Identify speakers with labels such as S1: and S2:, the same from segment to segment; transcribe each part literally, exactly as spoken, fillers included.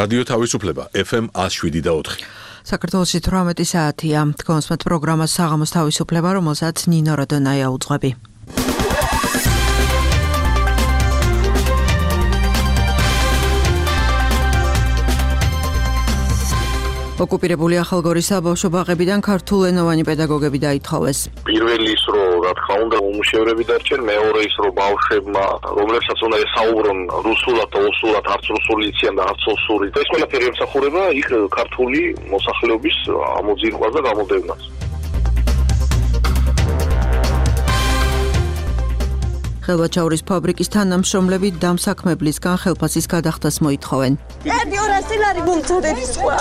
S1: რადიო თავისუფლება ეფ ემ ათს შვიდი და ოთხი.
S2: საქართველოში თვრამეტი საათია. თქვენს პროგრამას საღამოს თავისუფლება, რომელსაც ნინო როდონაია უძღვები. ოკუპირებული ახალგორის საბავშვო ბაღებიდან ქართულენოვანი პედაგოგები დაითხოვეს.
S3: პირველი ის რომ რა თქმა უნდა უმუშევრები დარჩენ, მეორე ის რომ ბავშვებმა რომლებსაც უნდა ესაუბრონ რუსულად და ოსურად, არც რუსული იციან და არც ოსური. ეს ყველაფერი ემსახურება იქ ქართული მოსახლეობის ამოძირყვას და გამოდევნას.
S2: ხელვაჩაურის ფაბრიკის თანამშრომლები დამსაქმებლისგან ხელფასის გადახდას მოითხოვენ.
S4: ერთი ორასი ლარი მომწოდების სხვა.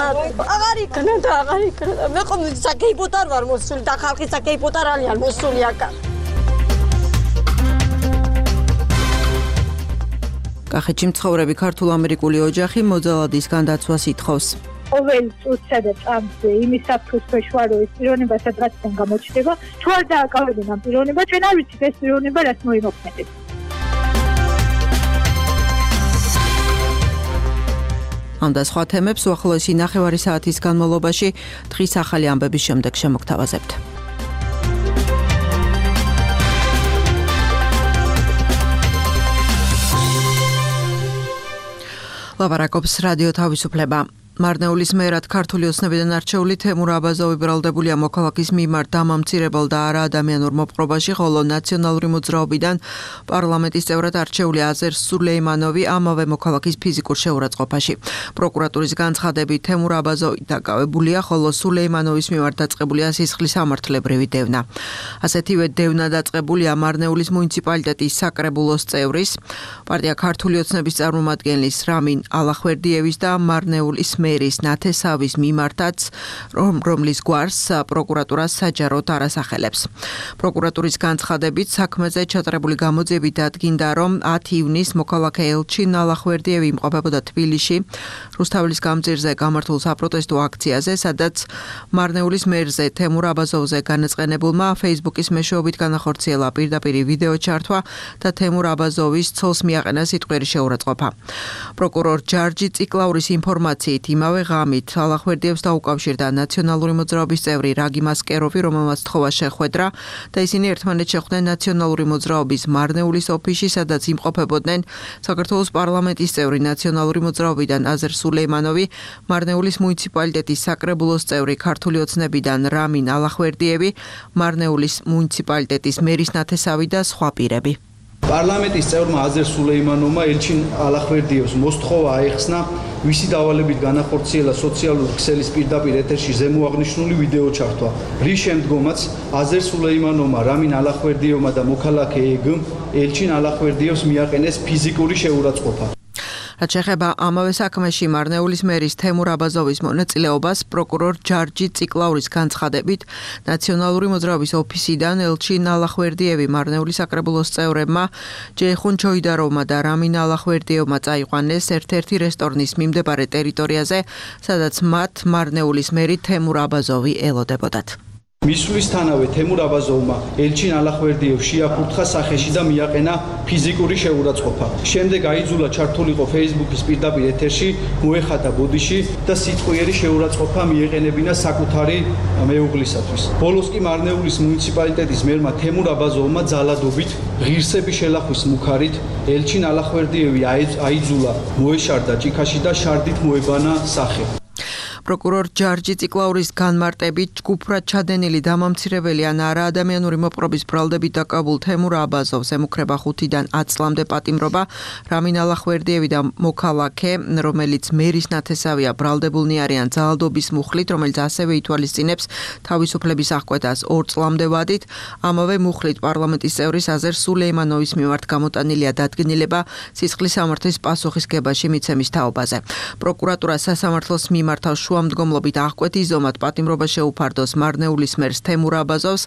S4: აღარ იქნა და აღარ იქნა. მე ხომ საკეიპოტარ ვარ მოსული და ხალხი საკეიპოტარ არიან მოსული აქ.
S2: კახეთში მცხოვრები ქართულ-ამერიკული ოჯახი მოძალადის განდაცვას ითხოვს.
S5: ყოველ წუთსა და წამზე იმის საფრთხის ქვეშ ვარ, რომ ეს პიროვნება სადღაციდან გამოჩნდება. თუ არ დააკავებენ ამ პიროვნებას, ჩვენ არ ვიცით ეს პიროვნება რას მოიმოქმედებს.
S2: ამ და სხვა თემებს უახლოესი ნახევარი საათის განმავლობაში დღის ახალი ამბების შემდეგ შემოგთავაზებთ. ლაპარაკობს რადიო თავისუფლება. მარნეულის მერად ქართული ოცნებიდან არჩეული თემურ აბაზოვი ბრალდებულია მოქალაქის მიმართ დამამცირებელ და არაადამიანურ მოპყრობაში, ხოლო ნაციონალური მოძრაობიდან პარლამენტის წევრად არჩეული აზერ სულეიმანოვი ამავე მოქალაქის ფიზიკურ შეურაცხყოფაში. პროკურატურის განცხადებით თემურ აბაზოვი დაკავებულია, ხოლო სულეიმანოვის მიმართ დაწყებულია სისხლის სამართლებრივი დევნა. ასეთივე დევნა დაწყებულია მარნეულის მუნიციპალიტეტის საკრებულოს წევრის, პარტია ქართული ოცნების წარმომადგენლის რამინ ალახვერდიევის და მარნეულის მერის ნათესავის მიმართაც, რომ რომლის გვარს პროკურატურა საჯაროდ არ ასახელებს. პროკურატურის განცხადებით საქმეზე ჩატარებული გამოძიებით დადგინდა, რომ ათი ივნისს მოქალაქე ელჩინ ალახვერდიევი იმყოფებოდა თბილისში, რუსთაველის გამზირზე გამართულ საპროტესტო აქციაზე, სადაც მარნეულის მერზე თემურ აბაზოვზე განაწყენებულმა Facebook-ის მეშვეობით განახორციელა პირდაპირი ვიდეო ჩართვა და თემურ აბაზოვის ცოლს მიაყენა სიტყვიერი შეურაცხყოფა. პროკურორ ჯარჯი ციკლაურის ინფორმაციით იმავე ღამით ალახვერდიევს დაუკავშირდა ნაციონალური მოძრაობის წევრი რაგი მასკეროვი, რომელმაც თხოვა შეხვედრა და ისინი ერთმანეთს შეხვდნენ ნაციონალური მოძრაობის მარნეულის ოფისში, სადაც იმყოფებოდნენ საქართველოს პარლამენტის წევრი ნაციონალური მოძრაობიდან აზერ სულეიმანოვი, მარნეულის მუნიციპალიტეტის საკრებულოს წევრი ქართული ოცნებიდან რამინ ალახვერდიევი, მარნეულის მუნიციპალიტეტის მერის ნათესავი და სხვა პირები.
S6: პარლამენტის წევრმა აზერ სულეიმანოვმა ელჩინ ალახვერდიევს მოსთხოვა აეხსნა, ვისი დავალებით განახორციელა სოციალური ქსელის პირდაპირ ეთერში ზემოაღნიშნული ვიდეო ჩართვა, რის შემდგომაც აზერ სულეიმანოვმა რამინ ალახვერდიევმა და მოქალაქე ეგმ ელჩინ ალახვერდიევს მიაყენეს ფიზიკური შეურაცხყოფა.
S2: რაც შეეხება ამავე საქმეში მარნეულის მერის თემურ აბაზოვის მონაწილეობას, პროკურორ ჯარჯი ციკლაურის განცხადებით, ნაციონალური მოძრაობის ოფისიდან ელჩინ ალახვერდიევი მარნეულის საკრებულოს წევრებმა, ჯეიხუნ ჩოიდაროვმა და რამინ ალახვერდიევმა წაიყვანეს ერთ-ერთი რესტორნის მიმდებარე ტერიტორიაზე, სადაც მათ მარნეულის მერი თემურ აბაზოვი ელოდებოდათ.
S6: მისვლისთანავე თემურ აბაზოვმა ელჩინ ალახვერდიევს შეაფურთხა სახეში და მიაყენა ფიზიკური შეურაცხყოფა. შემდეგ აიძულა ჩართულიყო Facebook-ის პირდაპირ ეთერში, მოეხატა ბოდიში და სიტყვიერი შეურაცხყოფა მიეყენებინა საკუთარი მეუღლისათვის. ბოლოს კი მარნეულის მუნიციპალიტეტის მერმა თემურ აბაზოვმა ძალადობით ღირსების შელახვის მუქარით ელჩინ ალახვერდიევი აიძულა მოეშარდა ჭიქაში და შარდით მოებანა სახე.
S2: პროკურორ ჯარჯი ციკლაურის განმარტებით ჯგუფრად ჩადენილი დამამცირებელი ან არაადამიანური მოპყრობის ბრალდებით დაკავებულ თემურ აბაზოვს ემუქრება ხუთიდან ათ წლამდე პატიმრობა, რამინ ალახვერდიევი და მოქალაქე, რომელიც მერის ნათესავია, ბრალდებულნი არიან ძალადობის მუხლით, რომელიც ასევე ითვალისწინებს თავისუფლების აღკვეთას ორ წლამდე ვადით. ამავე მუხლით პარლამენტის წევრის აზერ სულეიმანოვის მიმართ გამოტანილია დადგენილება სისხლის სამართლის პასუხისგებაში მიცემის თაობაზე. პროკურატურა სასამართლოს მიმართავ შუა თანადროულამდგომლობით აღკვეთის ზომად პატიმრობა შეუფარდოს მარნეულის მერს თემურ აბაზოვს,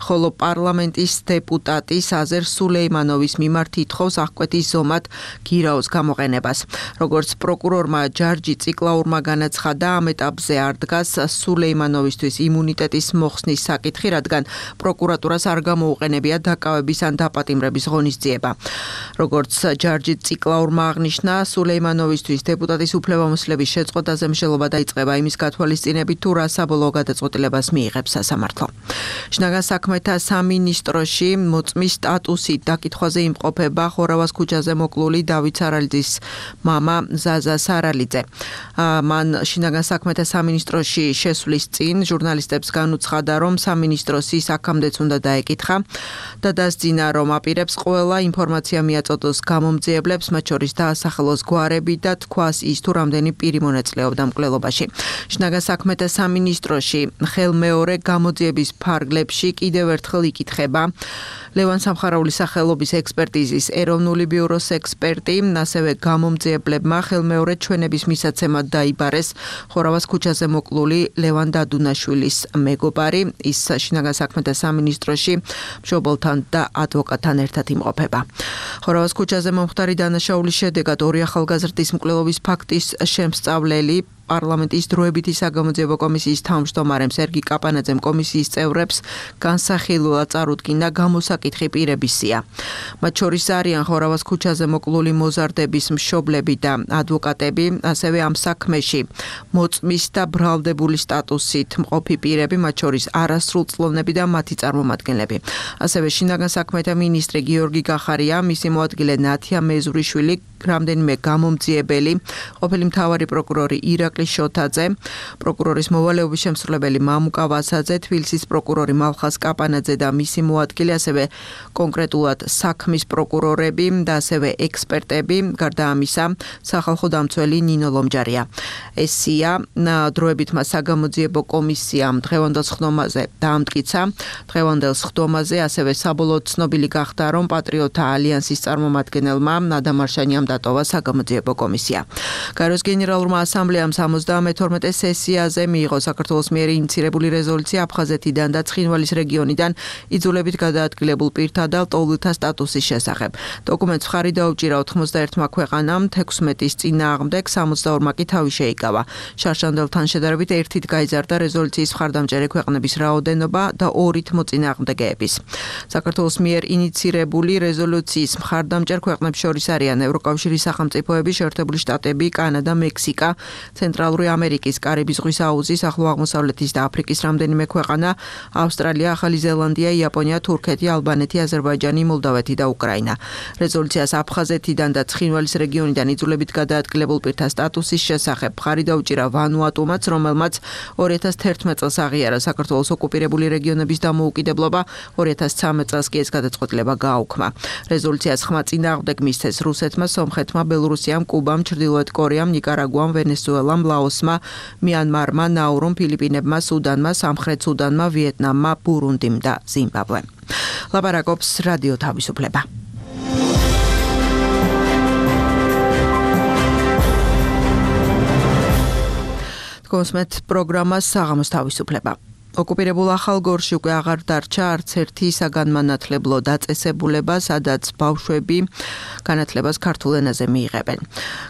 S2: ხოლო პარლამენტის დეპუტატი საზერ სულეიმანოვის მიმართ ითხოვს აღკვეთის ზომად გირაოს გამოყენებას. Როგორც პროკურორმა ჯარჯი ციკლაურმა განაცხადა, ამ ეტაპზე არ დგას სულეიმანოვისთვის იმუნიტეტის მოხსნის საკითხი, რადგან პროკურატურას არ გამოუყენებია დაკავების ან დაპატიმრების ღონისძიება. Როგორც ჯარჯი ციკლაურმა აღნიშნა, სულეიმანოვისთვის დეპუტატის უფლებამოსილების შეწყვეტაზე მსჯელობა დაიწყება იმის გათვალისწინებით, თუ რა საბოლოო გადაწყვეტილებას მიიღებს სასამართლო. შინაგან საქმეთა სამინისტროში მოწმის სტატუსით დაკითხვაზე იმყოფება ხორავას ქუჩაზე მოკლული დავით სარალიძის მამა ზაზა სარალიძე. მან შინაგან საქმეთა სამინისტროში შესვლის წინ ჟურნალისტებს განუცხადა, რომ სამინისტროს ის აქამდეც უნდა დაეკითხა და დასძინა, რომ აპირებს ყველა ინფორმაცია მიაწოდოს გამომძიებლებს, მათ შორის დაასახელოს გვარები და თქვას ის, თუ რამდენი პირი მონაწილეობდა მკვლელობაში. შინაგან საქმეთა სამინისტროში ხელმეორე გამოძიების ფარგლებში კიდევ ერთხელ იკითხება ლევან სამხარაულის სახელობის ექსპერტიზის ეროვნული ბიუროს ექსპერტი, ასევე გამომძიებლებმა ხელმეორე ჩვენების მისაცემად დაიბარეს ხორავას ქუჩაზე მოკლული ლევან დადუნაშვილის მეგობარი, ის შინაგან საქმეთა სამინისტროში მშობელთან და ადვოკატთან ერთად იმყოფება. ხორავას ქუჩაზე მომხდარი დანაშაულის შედეგად ორი ახალგაზრდის მკვლელობის ფაქტის შემსწავლელი პარლამენტის დროებითი საგამოძიებო კომისიის თავმჯდომარემ სერგი კაპანაძემ კომისიის წევრებს განსახილულად წარუდგინა გამოსაკითხი პირების სია. მათ შორის არიან ხორავას ქუჩაზე მოკლული მოზარდების მშობლები და ადვოკატები, ასევე ამ საქმეში მოწმის და ბრალდებული სტატუსით მყოფი პირები, მათ შორის არასრულწლოვნები და მათი წარმომადგენლები. ასევე შინაგან საქმეთა მინისტრი გიორგი გახარია, მისი მოადგილე ნათია მეზურიშვილი, რამდენიმე გამომძიებელი, ყოფილი მთავარი პროკურორი ირაკლი შოთაძე, პროკურორის მოვალეობის შემსრულებელი მამუკა ვასაძე, თბილისის პროკურორი მალხას კაპანაძე და მისი მოადგილე, ასევე კონკრეტულად საქმის პროკურორები და ასევე ექსპერტები, გარდა ამისა, სახალხო დამცველი ნინო ლომჯარია. ესია დროებითმა საგამოძიებო კომისიამ დღევანდელ სხდომაზე დაამტკიცა. დღევანდელ სხდომაზე ასევე საბოლოოდ ცნობილი გახდა, რომ პატრიოტთა ალიანსის წარმომადგენელმა ნადამ არშანიამ დატოვა საგამოძიებო კომისია. გაროს გენერალურმა ასამბლეამ სამოცდამეთორმეტე სესიაზე მიიღო საქართველოს მიერ ინიცირებული რეზოლუცია აფხაზეთიდან და ცხინვალის რეგიონიდან იძულებით გადაადგილებულ პირთა და ლტოლვილთა სტატუსის შესახებ. დოკუმენტს მხარი დაუჭირა ოთხმოცდაერთმა ქვეყანამ, თექვსმეტის წინააღმდეგ სამოცდაორმა კი თავი შეიკავა. შარშანდელთან შედარებით ერთით გაიზარდა რეზოლუციის მხარდამჭერი ქვეყნების რაოდენობა და ორით მოწინააღმდეგეების. საქართველოს მიერ ინიცირებული რეზოლუციის მხარდამჭერ ქვეყნებს შორის არიან ევროკავშირის სახელმწიფოები, შეერთებული შტატები, კანადა, მექსიკა, ცენტრალური ამერიკის, კარიბის ზღვის აუზის, ახლო აღმოსავლეთის და აფრიკის რამდენიმე ქვეყანა, ავსტრალია, ახალი ზელანდია, იაპონია, თურქეთი, ალბანეთი, აზერბაიჯანი, მოლდავეთი და უკრაინა. რეზოლუციას აფხაზეთიდან და ცხინვალის რეგიონიდან იძულებით გადაადგილებულ პირთა სტატუსის შესახებ მხარი დაუჭირა ვანუატუმაც, რომელმაც ორი ათას თერთმეტ წელს აღიარა საქართველოს ოკუპირებული რეგიონების დამოუკიდებლობა, ორი ათას ცხრამეტ წელს კი ეს გადაწყვეტილება გააუქმა. რეზოლუციას ხმა წინააღმდეგ მისცეს რუსეთმა, სომხეთმა, ბელორუსიამ, კუბამ, ჩრდილოეთ კორეამ, ნიკარაგუამ, ვენესუელამ, ლაოსმა, მიანმარმა, ნაურუმ, ფილიპინებმა, სუდანმა, სამხრეთ სუდანმა, ვიეტნამმა, ბურუნდიმ და ზიმბაბვემ. ლაპარაკობს რადიო თავისუფლება. თქოსმეთ პროგრამას საღამოს თავისუფლება. ოკუპირებულ ახალგორში უკვე აღარ დარჩა არც ერთი საგანმანათლებლო დაწესებულება, სადაც ბავშვები განათლებას ქართულ ენაზე მიიღებენ.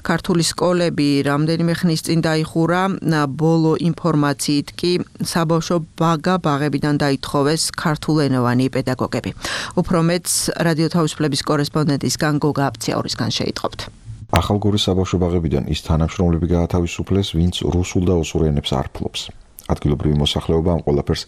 S2: ქართული სკოლები რამდენიმე ხნის წინ დაიხურა, ბოლო ინფორმაციით კი საბავშვო ბაგა ბაღებიდან დაითხოვეს ქართულენოვანი პედაგოგები. უფრო მეტს რადიო თავისუფლების კორესპონდენტისგან გოგა აფციაურისგან შეიტყობთ.
S7: ახალგორის საბავშვო ბაღებიდან ის თანამშრომლები გაათავისუფლეს, ვინც რუსულ და ოსურ ენებს არ ფლობს. ადგილობრივი მოსახლეობა ამ ყველაფერს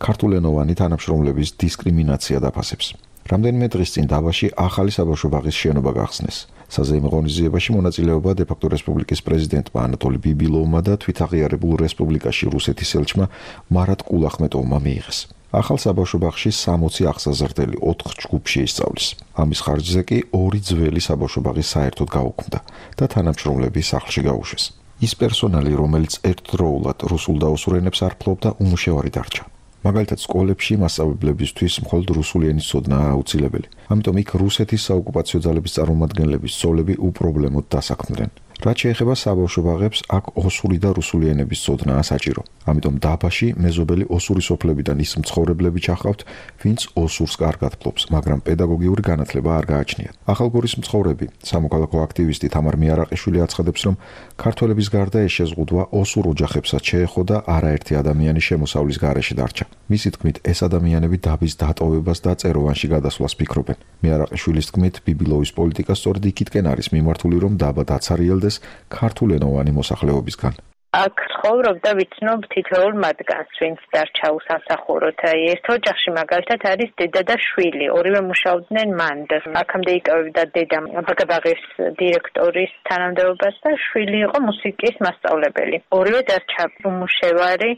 S7: ქართულენოვანი თანამშრომლების დისკრიმინაცია დაფასებს. რამდენიმე დღის წინ დავაში ახალი საბავშვო ბაღის შენობა გახსნეს. საზეიმო ღონისძიებაში მონაწილეობა დე-ფაქტო რესპუბლიკის პრეზიდენტმა ანატოლი ბიბილოვმა და თვითაღიარებულ რესპუბლიკაში რუსეთის ელჩმა მარატ კულახმეტოვმა მიიღეს. ახალ საბავშვო ბაღში სამოცი აღსაზრდელი ოთხ ჯგუფში ისწავლის. ამის ხარჯზე კი ორი ძველი საბავშვო ბაღი საერთოდ გაუქმდა და თანამშრომლები სახლში გაუშვეს. ის პერსონალი, რომელიც ერთდროულად რუსულ და ოსურ ენებს არ ფლობდა, უმუშევარი დარჩა. მაგალითად, სკოლებში მასწავლებლებისთვის მხოლოდ რუსული ენის ცოდნაა აუცილებელი. ამიტომ იქ რუსეთის საოკუპაციო ძალების წარმომადგენლების სწავლები უპრობლემოდ დასაქმდნენ. რაც შეეხება საბავშვო ბაღებს, აქ ოსური და რუსული ენების ცოდნაა საჭირო. ამიტომ დაბაში მეზობელი ოსური სოფლებიდან ის მცხოვრებლები ჩახავთ, ვინც ოსურს კარგად ფლობს, მაგრამ პედაგოგიური განათლება არ გააჩნიათ. ახალგორის მცხოვრები, სამოქალაქო აქტივისტი თამარ მიარაყიშვილი აცხადებს, რომ ქართველების გარდა ეს შეზღუდვა ოსურ ოჯახებსაც შეეხო და არაერთი ადამიანი შემოსავლის გარეშე დარჩა. მისი თქმით, ეს ადამიანები დაბის დატოვებას და წეროვანში გადასვლას ფიქრობენ. მიარაყიშვილის თქმით, ბიბილოვის პოლიტიკა სწორედ იქითკენ არის მიმართული, რომ დაბა დაცარიელდეს ქართულენოვანი მოსახლეობისგან.
S8: აქ ცხოვრობდა ვიცნობ თითოეულ მათგანს, ვინც დარჩა უსამსახუროდ. ერთ ოჯახში მაგალითად არის დედა და შვილი, ორივე მუშაობდნენ მანდ. აქამდე იკავებდა დედა ბაგაბაღის დირექტორის თანამდებობას და შვილი იყო მუსიკის მასწავლებელი. ორივე დარჩა უმუშევარი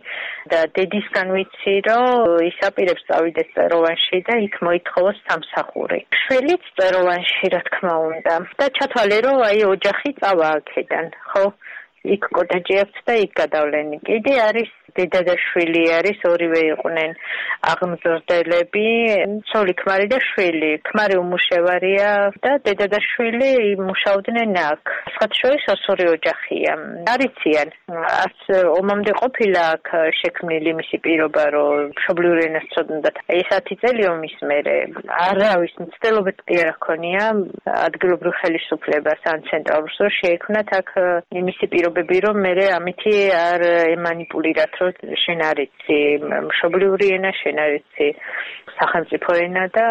S8: და დედისგან ვიცი, რომ ის აპირებს წავიდეს წეროვანში და იქ მოითხოვოს სამსახური. შვილიც წეროვანში, რა თქმა უნდა. და ჩათვალე, რომ აი ოჯახი წავა აქედან, ხო? იქ კოტეჯი აქვს და იქ გადავლენი. კიდე არის დედა და შვილი არის, ორივე იყვნენ აღმზრდელები, ცოლი ქმარი და შვილი. ქმარი უმუშევარია და დედა და შვილი მუშაობდნენ აქ. სხვათა შორის ოსური ოჯახია. არიციან, არც ომამდე ყოფილა აქ შექმნილი მისი პირობა, რომ მშობლიური ენას ცოდნათ. ეს ათი წელი ომის მერე არავის მცდელობაც კი არ ჰქონია ადგილობრივ ხელისუფლებას ან ცენტრალურს, რომ შეექმნათ აქ მისი პირობები, რომ მე ამითი არ ემანიპულირათ, რომ შენ არიცი მშობლიური ენა, შენ არიცი სახელმწიფო ენა და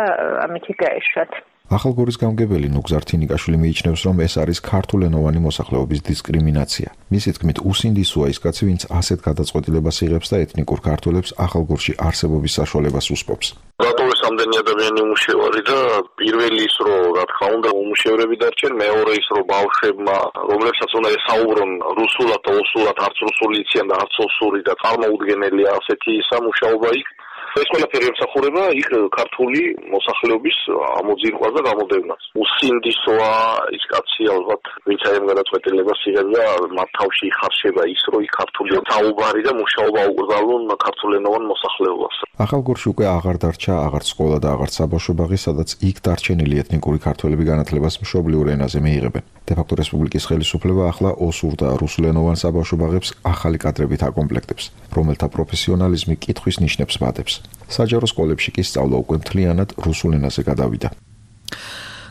S8: ამითი გაეშვათ.
S7: ახალგორის გამგებელი ნუგზარ თინიკაშვილი მიიჩნევს, რომ ეს არის ქართულენოვანი მოსახლეობის დისკრიმინაცია. მისი თქმით, უსინდისოა ის კაცი, ვინც ასეთ გადაწყვეტილებას იღებს და ეთნიკურ ქართველებს ახალგორში არსებობის საშუალებას უსპობს.
S3: რატოეს ამდენი ადამიანი უმუშევარი და პირველი ის, რომ რა თქმა უნდა უმუშევრები დარჩენ, მეორე ის, რომ ბავშვებმა, რომლებსაც უნდა ესაუბრონ რუსულად და ოსურად, არც რუსული იციან და არც ოსური და წარმოუდგენელია ასეთი სამუშაობა იქ. ეს ყველაფერი ემსახურება იქ ქართული მოსახლეობის ამოძირყვას და გამოდევნას. უსინდისოა ის კაცი ალბათ, ვინც აი ამ გადაწყვეტილებას იღებს და მათ თავში იხარშება ის, რომ იქ ქართული საუბარი და მუშაობა უყრდნალონ ქართულენოვან მოსახლეობას.
S7: ახალგორში უკვე აღარ დარჩა აღარც სკოლა და აღარც საბავშვო ბაღი, სადაც იქ დარჩენილი ეთნიკური ქართველები განათლებას მშობლიურ ენაზე მიიღებენ. დე-ფაქტო რესპუბლიკის ხელისუფლება ახლა ოსურ და რუსულენოვან საბავშვო ბაღებს ახალი კადრებით აკომპლექტებს, რომელთა პროფესიონალიზმი კითხვის ნიშნებს მატებს. საჯარო სკოლებში კი სწავლა უკვე მთლიანად რუსულ ენაზე გადავიდა.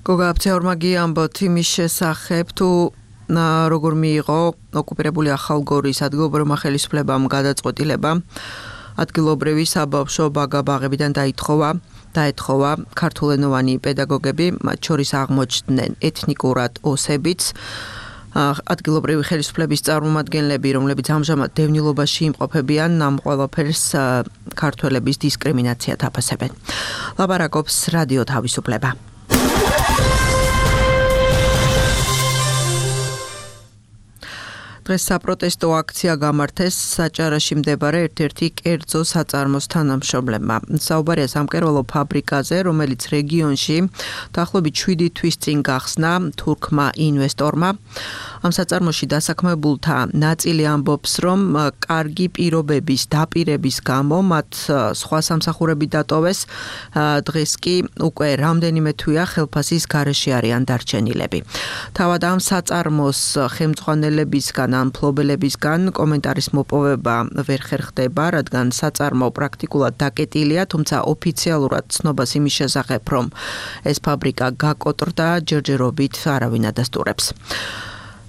S2: გოგა აფცეორმაგი ამბობთ იმის შესახებ, თუ როგორ მიიღო ოკუპირებული ახალგორის ადგილობრივმა ხელისუფლებამ გადაწყვეტილება ადგილობრივი საბავშვო ბაღებიდან დაითხოვა დაეთხოვა ქართულენოვანი პედაგოგები, მათ შორის აღმოჩნდნენ ეთნიკურად ოსებიც, ადგილობრივი ხელისუფლების წარმომადგენლები, რომლებიც ამჟამად დევნილობაში იმყოფებიან, ამ ყველაფერს ქართველების დისკრიმინაციად აფასებენ. ლაპარაკობს რადიო თავისუფლება. დღეს საპროტესტო აქცია გამართეს საჭარაში მდებარე ერთ-ერთი კერძო საწარმოს თანამშრომლებმა. საუბარია სამკერვალო ფაბრიკაზე, რომელიც რეგიონში დაახლოებით შვიდი თვის წინ გახსნა თურქმა ინვესტორმა. ამ საწარმოში დასაქმებულთა ნაწილი ამბობს, რომ კარგი პირობების დაპირების გამო მათ სხვა სამსახურები დატოვეს. დღეს კი უკვე რამდენიმე თვეა ხელფასის გარეშე არიან დარჩენილები. თავად ამ საწარმოს ხელმძღვანელებისგან ან მფლობელებისგან კომენტარის მოპოვება ვერ ხერხდება, რადგან საწარმო პრაქტიკულად დაკეტილია, თუმცა ოფიციალურად ცნობას იმის შესახებ, რომ ეს ფაბრიკა გაკოტრდა, ჯერჯერობით არავინ ადასტურებს.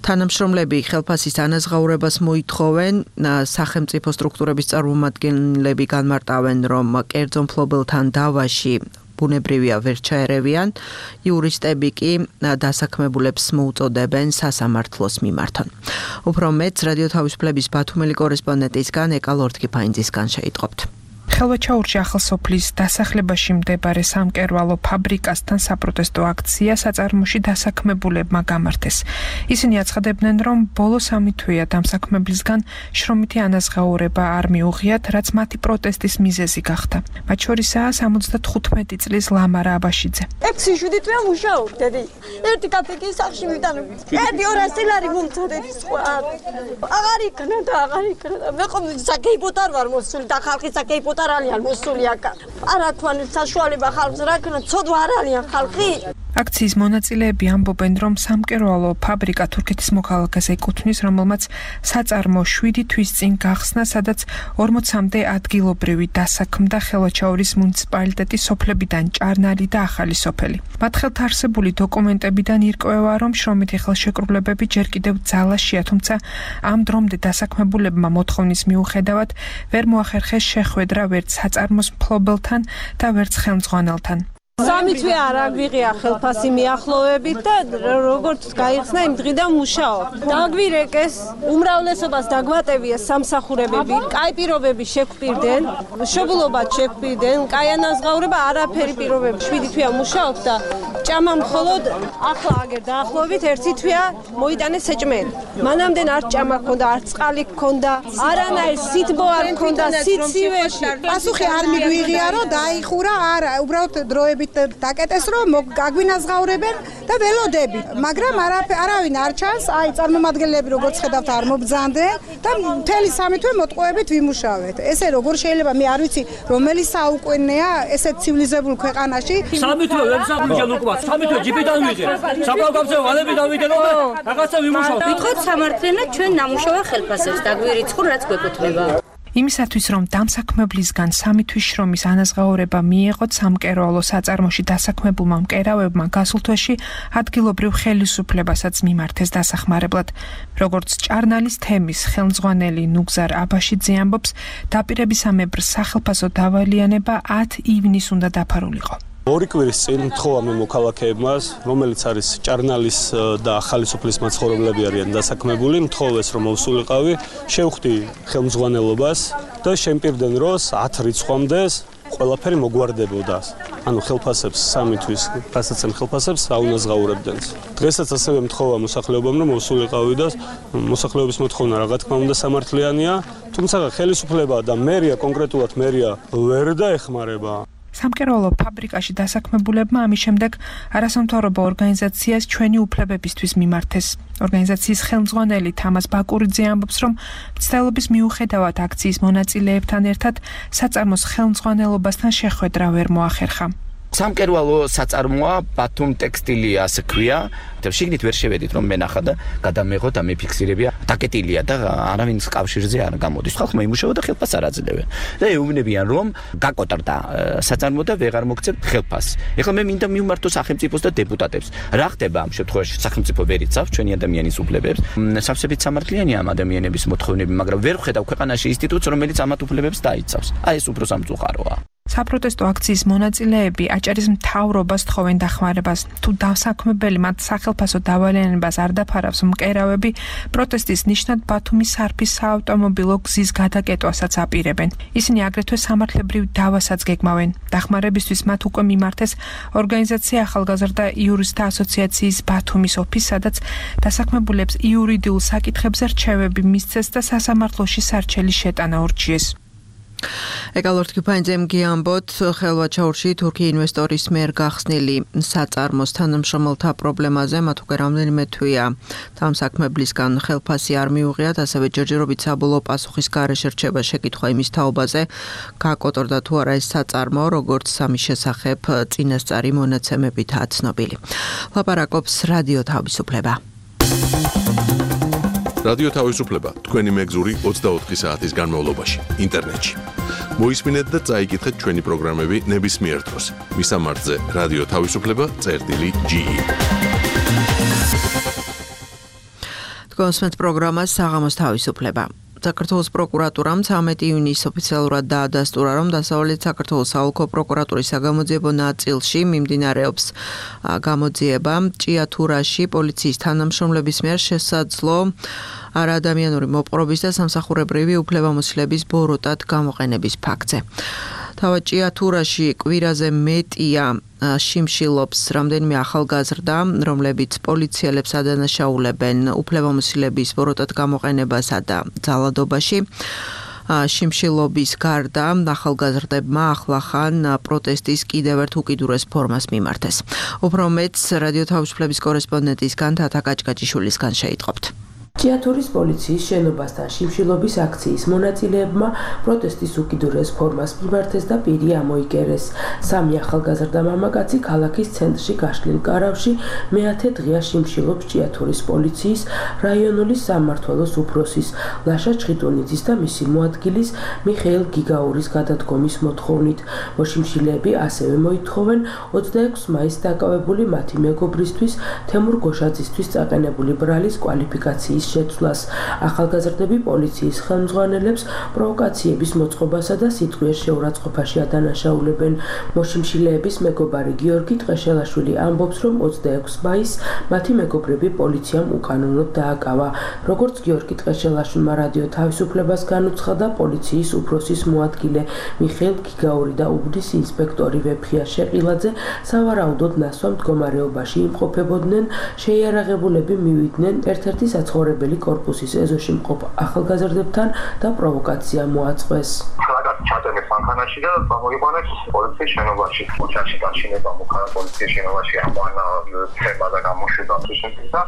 S2: თანამშრომლები ხელფასის ანაზღაურებას მოითხოვენ, სახელმწიფო სტრუქტურების წარმომადგენლები განმარტავენ, რომ კერძო მფლობელთან დავაში ბუნებრივია ვერ ჩაერევიან, იურისტები კი დასაქმებულებს მოუწოდებენ სასამართლოს მიმართონ. უფრო მეტს რადიო თავისუფლების ბათუმელი კორესპონდენტისგან ეკა ლორდკიფაინძისგან შეიტყობთ.
S9: ხელვაჩაურში ახალსოფლის დასახლებაში მდებარე სამკერვალო ფაბრიკასთან საპროტესტო აქცია საწარმოში დასაქმებულებმა გამართეს. ისინი აცხადებდნენ, რომ ბოლო სამი თვეა დამსაქმებლისგან შრომითი ანაზღაურება არ მიუღიათ, რაც მათი პროტესტის მიზეზი გახდა. მათ შორისაა სამოცდათხუთმეტი წლის ლამარა აბაშიძე.
S4: ექვსი შვიდი თვეა მუშაობდები. ერთი კაფექის სახში ვიტანები. ერთი ორასი ლარი მომწოდები სხვა. აღარ იქნა და აღარ იქნა. მე ყომ საკეიპოთ არ ვარ მოსული და ხალხი საკეიპოთ არალიან მოსული აკა. არა თქვენ საშუალება ხალხს რა ქნა, ცოდვა არალიან ხალხი.
S9: აქციის მონაწილეები ამბობენ, რომ სამკერვალო ფაბრიკა თურქეთის მოქალაქეს ეკუთვნის, რომელმაც საწარმო შვიდი თვის წინ გახსნა, სადაც ორმოცამდე ადგილობრივი დასაქმდა ხელვაჩაურის მუნიციპალიტეტის სოფლებიდან ჭარნალი და ახალი სოფელი. მათ ხელთ არსებული დოკუმენტებიდან ირკვევა, რომ შრომითი ხელშეკრულებები ჯერ კიდევ ძალაშია, თუმცა ამ დრომდე დასაქმებულებმა მოთხოვნის მიუხედავად ვერ მოახერხეს შეხვედრა ვერც საწარმოს მფლობელთან და ვერც ხელმძღვანელთან.
S10: სამი თვე არ აგვიღია ხელფასი მიახლოვებით და როგორც გაიხსნა იმ დღიდან მუშაობ. დაგვირეკეს, უმრავლესობას დაგვატევია სამსახურებები, კაი პირობები შეგვპირდნენ, მშობლობად შეგვპირდნენ, კაი ანაზღაურება არაფერი პირობები. შვიდი თვეა მუშაობ და ჭამა მხოლოდ ახლა აგერ დაახლოებით ერთი თვეა მოიტანეს საჭმელი. მანამდე არ ჭამა ქონდა, არ წყალი ქონდა, არანაირ სითბო არ ქონდა, სიცივეში.
S11: პასუხი არ მიგვიღია, რომ დაიხურა, არა, უბრალოდ დროებით დაკეტეს, რომ გაგვინაზღაურებენ და ველოდები, მაგრამ არავინ არ ჩანს, აი წარმომადგენლები როგორც ხედავთ არ მობრძანდნენ და მთელი სამი თვე მოტყუებით ვიმუშავეთ. ესე როგორ შეიძლება, მე არ ვიცი, რომელი საუკუნეა ესეთ ცივილიზებულ ქვეყანაში.
S12: სამი თვე ვებსაბუჯან უკვა, სამი თვე ჯიპიდან ვიღე. საკავკავზე ვალები დავიდე რომ რაღაცა ვიმუშავოთ.
S13: ვიტყოთ სამართლიანად ჩვენ ნამუშევრ ხელფასებს დაგვირიცხულ, რაც გვეკუთვნება.
S9: იმისათვის, რომ დამსაქმებლისგან სამი თვის შრომის ანაზღაურება მიეღოთ, სამკერვალო საწარმოში დასაქმებულმა მკერავებმა გასულ თვეში ადგილობრივ ხელისუფლებასაც მიმართეს დასახმარებლად. როგორც ჭარნალის თემის ხელმძღვანელი ნუგზარ აბაშიძე ამბობს, დაპირებისამებრ სახელფასო დავალიანება ათი ივნისს უნდა დაფარულიყო.
S14: ორი კვირის წინ მთხოვა მე მოქალაქეებმა, რომელიც არის ჭარნალის და ახალი სოფლის მაცხოვრებლები არიან დასაქმებული, მთხოვეს რომ მოვსულიყავი, შევხვდი ხელმძღვანელობას და შემპირდნენ რომ ათი რიცხვამდე ყველაფერი მოგვარდებოდა. ანუ ხელფასებს სამი თვის გასაცემ ხელფასებს აუნაზღაურებდნენ. დღესაც ასევე მთხოვა მოსახლეობამ რომ მოვსულიყავი და მოსახლეობის მოთხოვნა რა თქმა უნდა სამართლიანია, თუმცა ხელისუფლება და მერია, კონკრეტულად მერია ვერ დაეხმარება.
S9: სამკერვალო ფაბრიკაში დასაქმებულებმა ამის შემდეგ არასამთავრობო ორგანიზაციას ჩვენი უფლებებისთვის მიმართეს. ორგანიზაციის ხელმძღვანელი თამას ბაკურიძე ამბობს, რომ მცდელობის მიუხედავად აქციის მონაწილეებთან ერთად საწარმოს ხელმძღვანელობასთან შეხვედრა ვერ მოახერხა.
S15: სამკერვალო საწარმოა ბათუმ ტექსტილია, ასე ქვია. შიგნით ვერ შევედით რომ მენახა და გადამეღოთ და მეფიქსირებია. დაკეტილია და არავინ კავშირზე არ გამოდის. ხალხმა იმუშავა და ხელფასს არ აძლევენ. და ეუბნებიან რომ გაკოტრდა საწარმო და ვეღარ მოგცემთ ხელფასს. ეხლა მე მინდა მივმართო სახელმწიფოს და დეპუტატებს. რა ხდება ამ შემთხვევაში? სახელმწიფო ვერ იცავს ჩვენი ადამიანის უფლებებს. სავსებით სამართლიანია ამ ადამიანების მოთხოვნები, მაგრამ ვერ ვხედავ ქვეყანაში ინსტიტუტს, რომელიც ამათ უფლებებს დაიცავს. აი ეს უფრო სამწუხაროა.
S9: საპროტესტო აქციის მონაწილეები აჭარის მთავრობას თხოვენ დახმარებას. თუ დასაქმებელი მათ სახელფასო დავალიანებას არ დაფარავს, მკერავები პროტესტის ნიშნად ბათუმის სარფის საავტომობილო გზის გადაკეტვასაც აპირებენ. ისინი აგრეთვე სამართლებრივ დავასაც გეგმავენ. დახმარებისთვის მათ უკვე მიმართეს ორგანიზაცია ახალგაზრდა იურისტთა ასოციაციის ბათუმის ოფისს, სადაც დასაქმებულებს იურიდიულ საკითხებზე რჩევები მისცეს და სასამართლოში სარჩელი შეტანა ურჩიეს.
S2: ეკალორთკიფაინძემ გიამბოთ ხელვაჩაურში თურქი ინვესტორის მიერ გახსნილი საწარმოს თანამშრომელთა პრობლემაზე მათ უკვე რამდენიმე თვეა დამსაქმებლისგან ხელფასი არ მიუღიათ, ასევე ჯერჯერობით საბოლოო პასუხის გარეშე რჩება შეკითხვა იმის თაობაზე, გაკოტრდა თუ არა ეს საწარმო, როგორც სამის შესახებ წინასწარი მონაცემებითაა ცნობილი. ლაპარაკობს რადიო თავისუფლება.
S1: რადიო თავისუფლება თქვენი მეგზური ოცდაოთხი საათის განმავლობაში ინტერნეტში. მოისმინეთ და წაიკითხეთ ჩვენი პროგრამები ნებისმიერ დროს. მისამართზე რადიო თავისუფლება წერტილი ჯი. თქვენს პროგრამას საღამოს თავისუფლება. საქართველოს პროკურატურამ ცამეტი ივნისს ოფიციალურად დაადასტურა, რომ დასავლეთ საქართველოს საოლქო პროკურატურის საგამოძიებო ნაწილში მიმდინარეობს გამოძიება ჭიათურაში პოლიციის თანამშრომლების მიერ შესაძლო არაადამიანური მოპყრობის და სამსახურებრივი უფლებამოსილების ბოროტად გამოყენების ფაქტზე. თავად ჭიათურაში კვირაზე მეტია შიმშილობს რამდენიმე ახალგაზრდა, რომლებიც პოლიციელებს ადანაშაულებენ უფლებამოსილების ბოროტად გამოყენებასა და ძალადობაში. შიმშილობის გარდა ახალგაზრდებმა ახლახან პროტესტის კიდევ ერთ უკიდურეს ფორმას მიმართეს. უფრო მეტს რადიო თავისუფლების კორესპონდენტისგან თათა კაჭკაჭიშვილისგან შეიტყობთ.
S16: ჭიათურის პოლიციის შენობასთან შიმშილობის აქციის მონაწილეებმა პროტესტის უკიდურეს ფორმას მიმართეს და პირი ამოიკერეს. სამი ახალგაზრდა მამაკაცი ქალაქის ცენტრში გაშლილ კარავში მეათე დღეა შიმშილობს ჭიათურის პოლიციის რაიონული სამმართველოს უფროსის ლაშა ჩხიტუნიძის და მისი მოადგილის მიხეილ გიგაურის გადადგომის მოთხოვნით. მოშიმშილეები ასევე მოითხოვენ ოცდაექვსი მაისს დაკავებული მათი მეგობრისთვის თემურ გოშაძისთვის წაყენებული ბრალის კვალიფიკაციის შეცვლას. ახალგაზრდები პოლიციის ხელმძღვანელებს პროვოკაციების მოწყობასა და სიტყვის შეურაცხყოფაში ადანაშაულებენ. მოშიმშილეების მეგობარი გიორგი ტყეშელაშვილი ამბობს, რომ ოცდაექვსი მაისს მათი მეგობრები პოლიციამ უკანონოდ დააკავა. როგორც გიორგი ტყეშელაშვილმა რადიო თავისუფლებას განუცხადა, პოლიციის უფროსის მოადგილე მიხეილ გიგაური და უბნის ინსპექტორი ვეფხია შეყილაძე სავარაუდოდ ნასვამ მდგომარეობაში იმყოფებოდნენ. შეიარაღებულები მივიდნენ ერთ-ერთი საცხოვრებელი კორპუსის ეზოში მყოფ ახალგაზრდებთან და პროვოკაცია მოაწყვეს.
S3: ჩატენეს მანქანაში და გამოიყვანეს პოლიციის შენობაში. ოჯახში გაშინება მოხდა პოლიციის შენობაში ამანა თემა და გამოშვება თვითონ და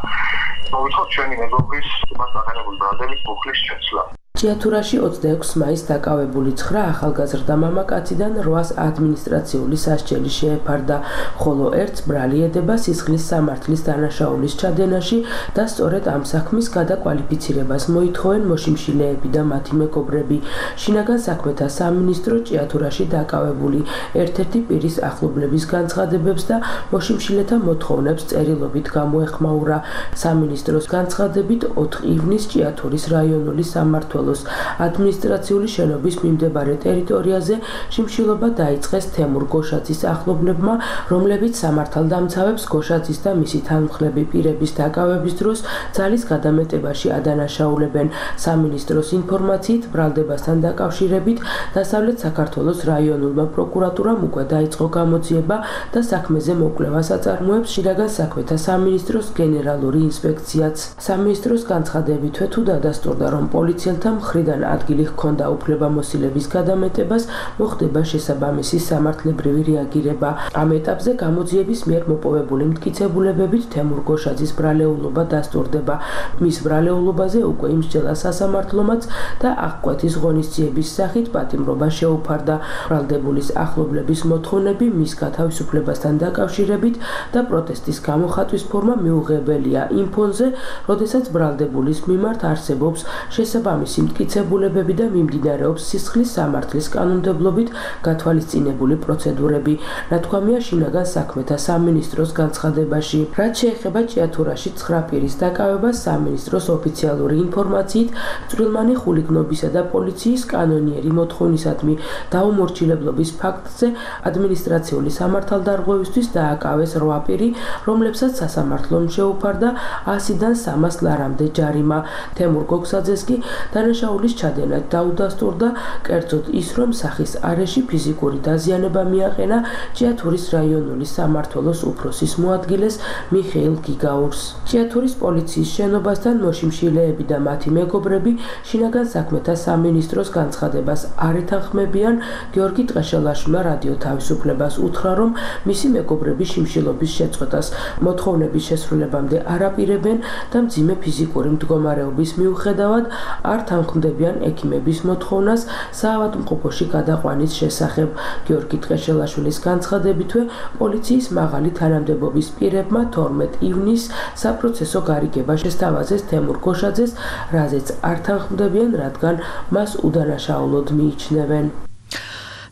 S3: მოვითხოვ ჩვენი მეგობრის მას აღენებული ბრალდების ბუხლის შეცვლა.
S16: ჭიათურაში ოცდაექვსი მაისს დაკავებული ცხრა ახალგაზრდა მამაკაციდან რვას ადმინისტრაციული სასჯელი შეეფარდა, ხოლო ერთს ბრალი ედება სისხლის სამართლის დანაშაულის ჩადენაში და სწორედ ამ საქმის გადაკვალიფიცირებას მოითხოვენ მოშიმშილეები და მათი მეგობრები. შინაგან საქმეთა სამინისტრო ჭიათურაში დაკავებული ერთ-ერთი პირის ახლობლების განცხადებებს და მოშიმშილეთა მოთხოვნებს წერილობით გამოეხმაურა. სამინისტროს განცხადებით ოთხი ივნისს ჭიათურის რაიონული სამმართველო ადმინისტრაციული შენობის მიმდებარე ტერიტორიაზე შიმშილობა დაიწყეს თემურ გოშაძის ახლობლებმა, რომლებიც სამართალდამცავებს გოშაძის და მისი თანმხლები პირების დაკავების დროს ძალის გადამეტებაში ადანაშაულებენ. სამინისტროს ინფორმაციით, ბრალდებასთან დაკავშირებით დასავლეთ საქართველოს რაიონულმა პროკურატურამ უკვე დაიწყო გამოძიება და საქმეზე მოკვლევას აწარმოებს შინაგან საქმეთა სამინისტროს გენერალური ინსპექციაც. სამინისტროს განცხადებითვე თუ დადასტურდა, რომ პოლიციელთა მხრიდან ადგილი ჰქონდა უფლებამოსილების გადამეტებას, მოხდება შესაბამისი სამართლებრივი რეაგირება. ამ ეტაპზე გამოძიების მიერ მოპოვებული მტკიცებულებებით თემურ გოშაძის ბრალეულობა დასტურდება. მის ბრალეულობაზე უკვე იმსჯელა სასამართლომაც და აღკვეთის ღონისძიების სახით პატიმრობა შეუფარდა. ბრალდებულის ახლობლების მოთხოვნები მის გათავისუფლებასთან დაკავშირებით და პროტესტის გამოხატვის ფორმა მიუღებელია იმ ფონზე, როდესაც ბრალდებულის მიმართ არსებობს შესაბამისი მტკიცებულებები და მიმდინარეობს სისხლის სამართლის კანონმდებლობით გათვალისწინებული პროცედურები. ნათქვამია შინაგან საქმეთა სამინისტროს განცხადებაში. რაც შეეხება ჭიათურაში ცხრა პირის დაკავებას, სამინისტროს ოფიციალური ინფორმაციით, წვრილმანი ხულიგნობისა და პოლიციის კანონიერი მოთხოვნისადმი დაუმორჩილებლობის ფაქტზე ადმინისტრაციული სამართალდარღვევისთვის დააკავეს რვა პირი, რომლებსაც სასამართლომ შეუფარდა ასიდან სამას ლარამდე ჯარიმა. თემურ გოგსაძეს კი დანაშაულის ჩადენა დაუდასტურდა, კერძოდ ის, რომ სახის არეში ფიზიკური დაზიანება მიაყენა ჭიათურის რაიონული სამმართველოს უფროსის მოადგილეს მიხეილ გიგაურს. ჭიათურის პოლიციის შენობასთან მოშიმშილეები და მათი მეგობრები შინაგან საქმეთა სამინისტროს განცხადებას არ ეთანხმებიან. გიორგი ტყეშელაშვილმა რადიო თავისუფლებას უთხრა, რომ მისი მეგობრები შიმშილობის შეწყვეტას მოთხოვნების შესრულებამდე არ აპირებენ და მძიმე ფიზიკური მდგომარეობის მიუხედავად არ თანხმდებიან ექიმების მოთხოვნას საავადმყოფოში გადაყვანის შესახებ. გიორგი ტყეშელაშვილის განცხადებითვე, პოლიციის მაღალი თანამდებობის პირებმა თორმეტი ივნისს საპროცესო გარიგება შესთავაზეს თემურ გოშაძეს, რაზეც არ თანხმდებიან, რადგან მას უდანაშაულოდ მიიჩნევენ.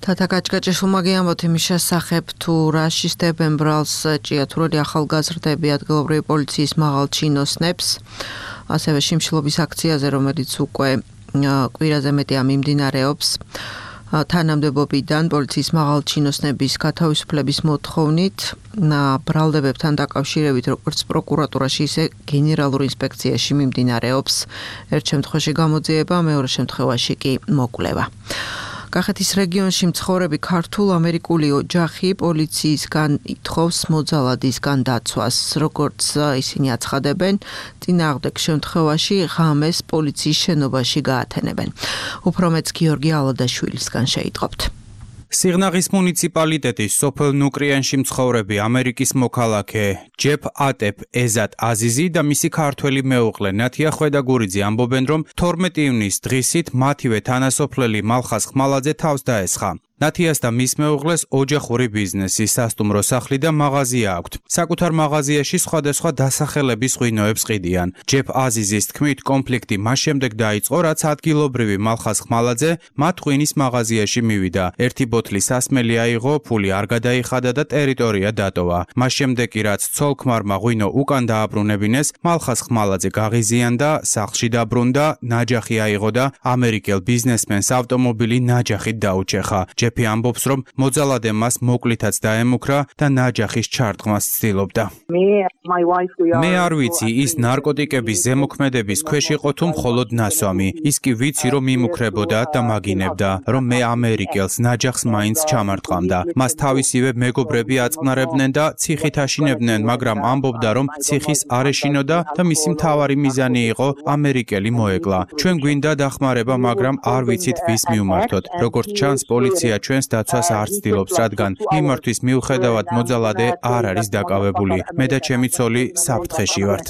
S2: თათა გაჭგაჭიშვილმა გიამბოთ იმის შესახებ, თუ რა შისდებენ ბრალს ჭიათურელი ახალგაზრდები ადგილობრივი პოლიციის მაღალ ჩინოსნებს, ასევე შიმშილობის აქციაზე, რომელიც უკვე კვირაზე მეტია მიმდინარეობს. თანამდებობიდან პოლიციის მაღალ ჩინოსნების გათავისუფლების მოთხოვნით ბრალდებებთან დაკავშირებით როგორც პროკურატურაში, ისე გენერალურ ინსპექციაში მიმდინარეობს. ერთ შემთხვევაში გამოძიება, მეორე შემთხვევაში კი მოკვლევა. კახეთის რეგიონში მცხოვრები ქართულ-ამერიკული ოჯახი პოლიციისგან ითხოვს მოძალადისგან დაცვას. როგორც ისინი აცხადებენ, წინააღმდეგ შემთხვევაში ღამეს პოლიციის შენობაში გაათენებენ. უფრო მეც გიორგი ალადაშვილისგან შეიტყობთ.
S17: სიღნაღის მუნიციპალიტეტის სოფელ ნუკრიანში მცხოვრები ამერიკის მოქალაქე ჯეფ ატეფ ეზატ აზიზი და მისი ქართველი მეუღლე ნათია ხვედაგურიძე ამბობენ, რომ თორმეტი ივნისის დღისით მათივე თანასოფლელი მალხაზ ხმალაძე თავს დაესხა. ნათიას და მის მეუღლეს ოჯახური ბიზნესი, სასტუმრო სახლი და მაღაზია აქვთ. საკუთარ მაღაზიაში სხვადასხვა დასახელების ღვინოებს ყიდიან. ჯეფ აზიზის თქმით, კონფლიქტი მას შემდეგ დაიწყო, რაც ადგილობრივი მალხაზ ხმალაძე მათ ღვინის მაღაზიაში მივიდა. ერთი ბოთლი სასმელი აიღო, ფული არ გადაიხადა და ტერიტორია დატოვა. მას შემდეგ კი რაც ცოლ-ქმარმა ღვინო უკან დააბრუნებინეს, მალხაზ ხმალაძე გაღიზიანდა, სახლში დაბრუნდა, ნაჯახი აიღო და ამერიკელ ბიზნესმენს ავტომობილი ნაჯახით დაუჩეხა. ჯეფი ამბობს, რომ მოძალადე მას მოკლითაც დაემუქრა და ნაჯახის ჩარტყმას ცდილობდა. მე არ ვიცი, ის ნარკოტიკების ზემოქმედების ქვეშ იყო თუ მხოლოდ ნასვამი. ის კი ვიცი, რომ იმუქრებოდა და მაგინებდა, რომ მე ამერიკელს ნაჯახს მაინც ჩამარტყამდა. მას თავისივე მეგობრები აწყნარებდნენ და ციხით აშინებდნენ, მაგრამ ამბობდა, რომ ციხის არ ეშინოდა და მისი მთავარი მიზანი იყო ამერიკელი მოეკლა. ჩვენ გვინდა დახმარება, მაგრამ არ ვიცით ვის მივმართოთ. როგორც ჩანს, პოლიცია ჩვენს დაცვას არ ცდილობს, რადგან მიმართვის მიუხედავად მოძალადე არ არის დაკავებული. მე და ჩემი ცოლი საფრთხეში ვართ.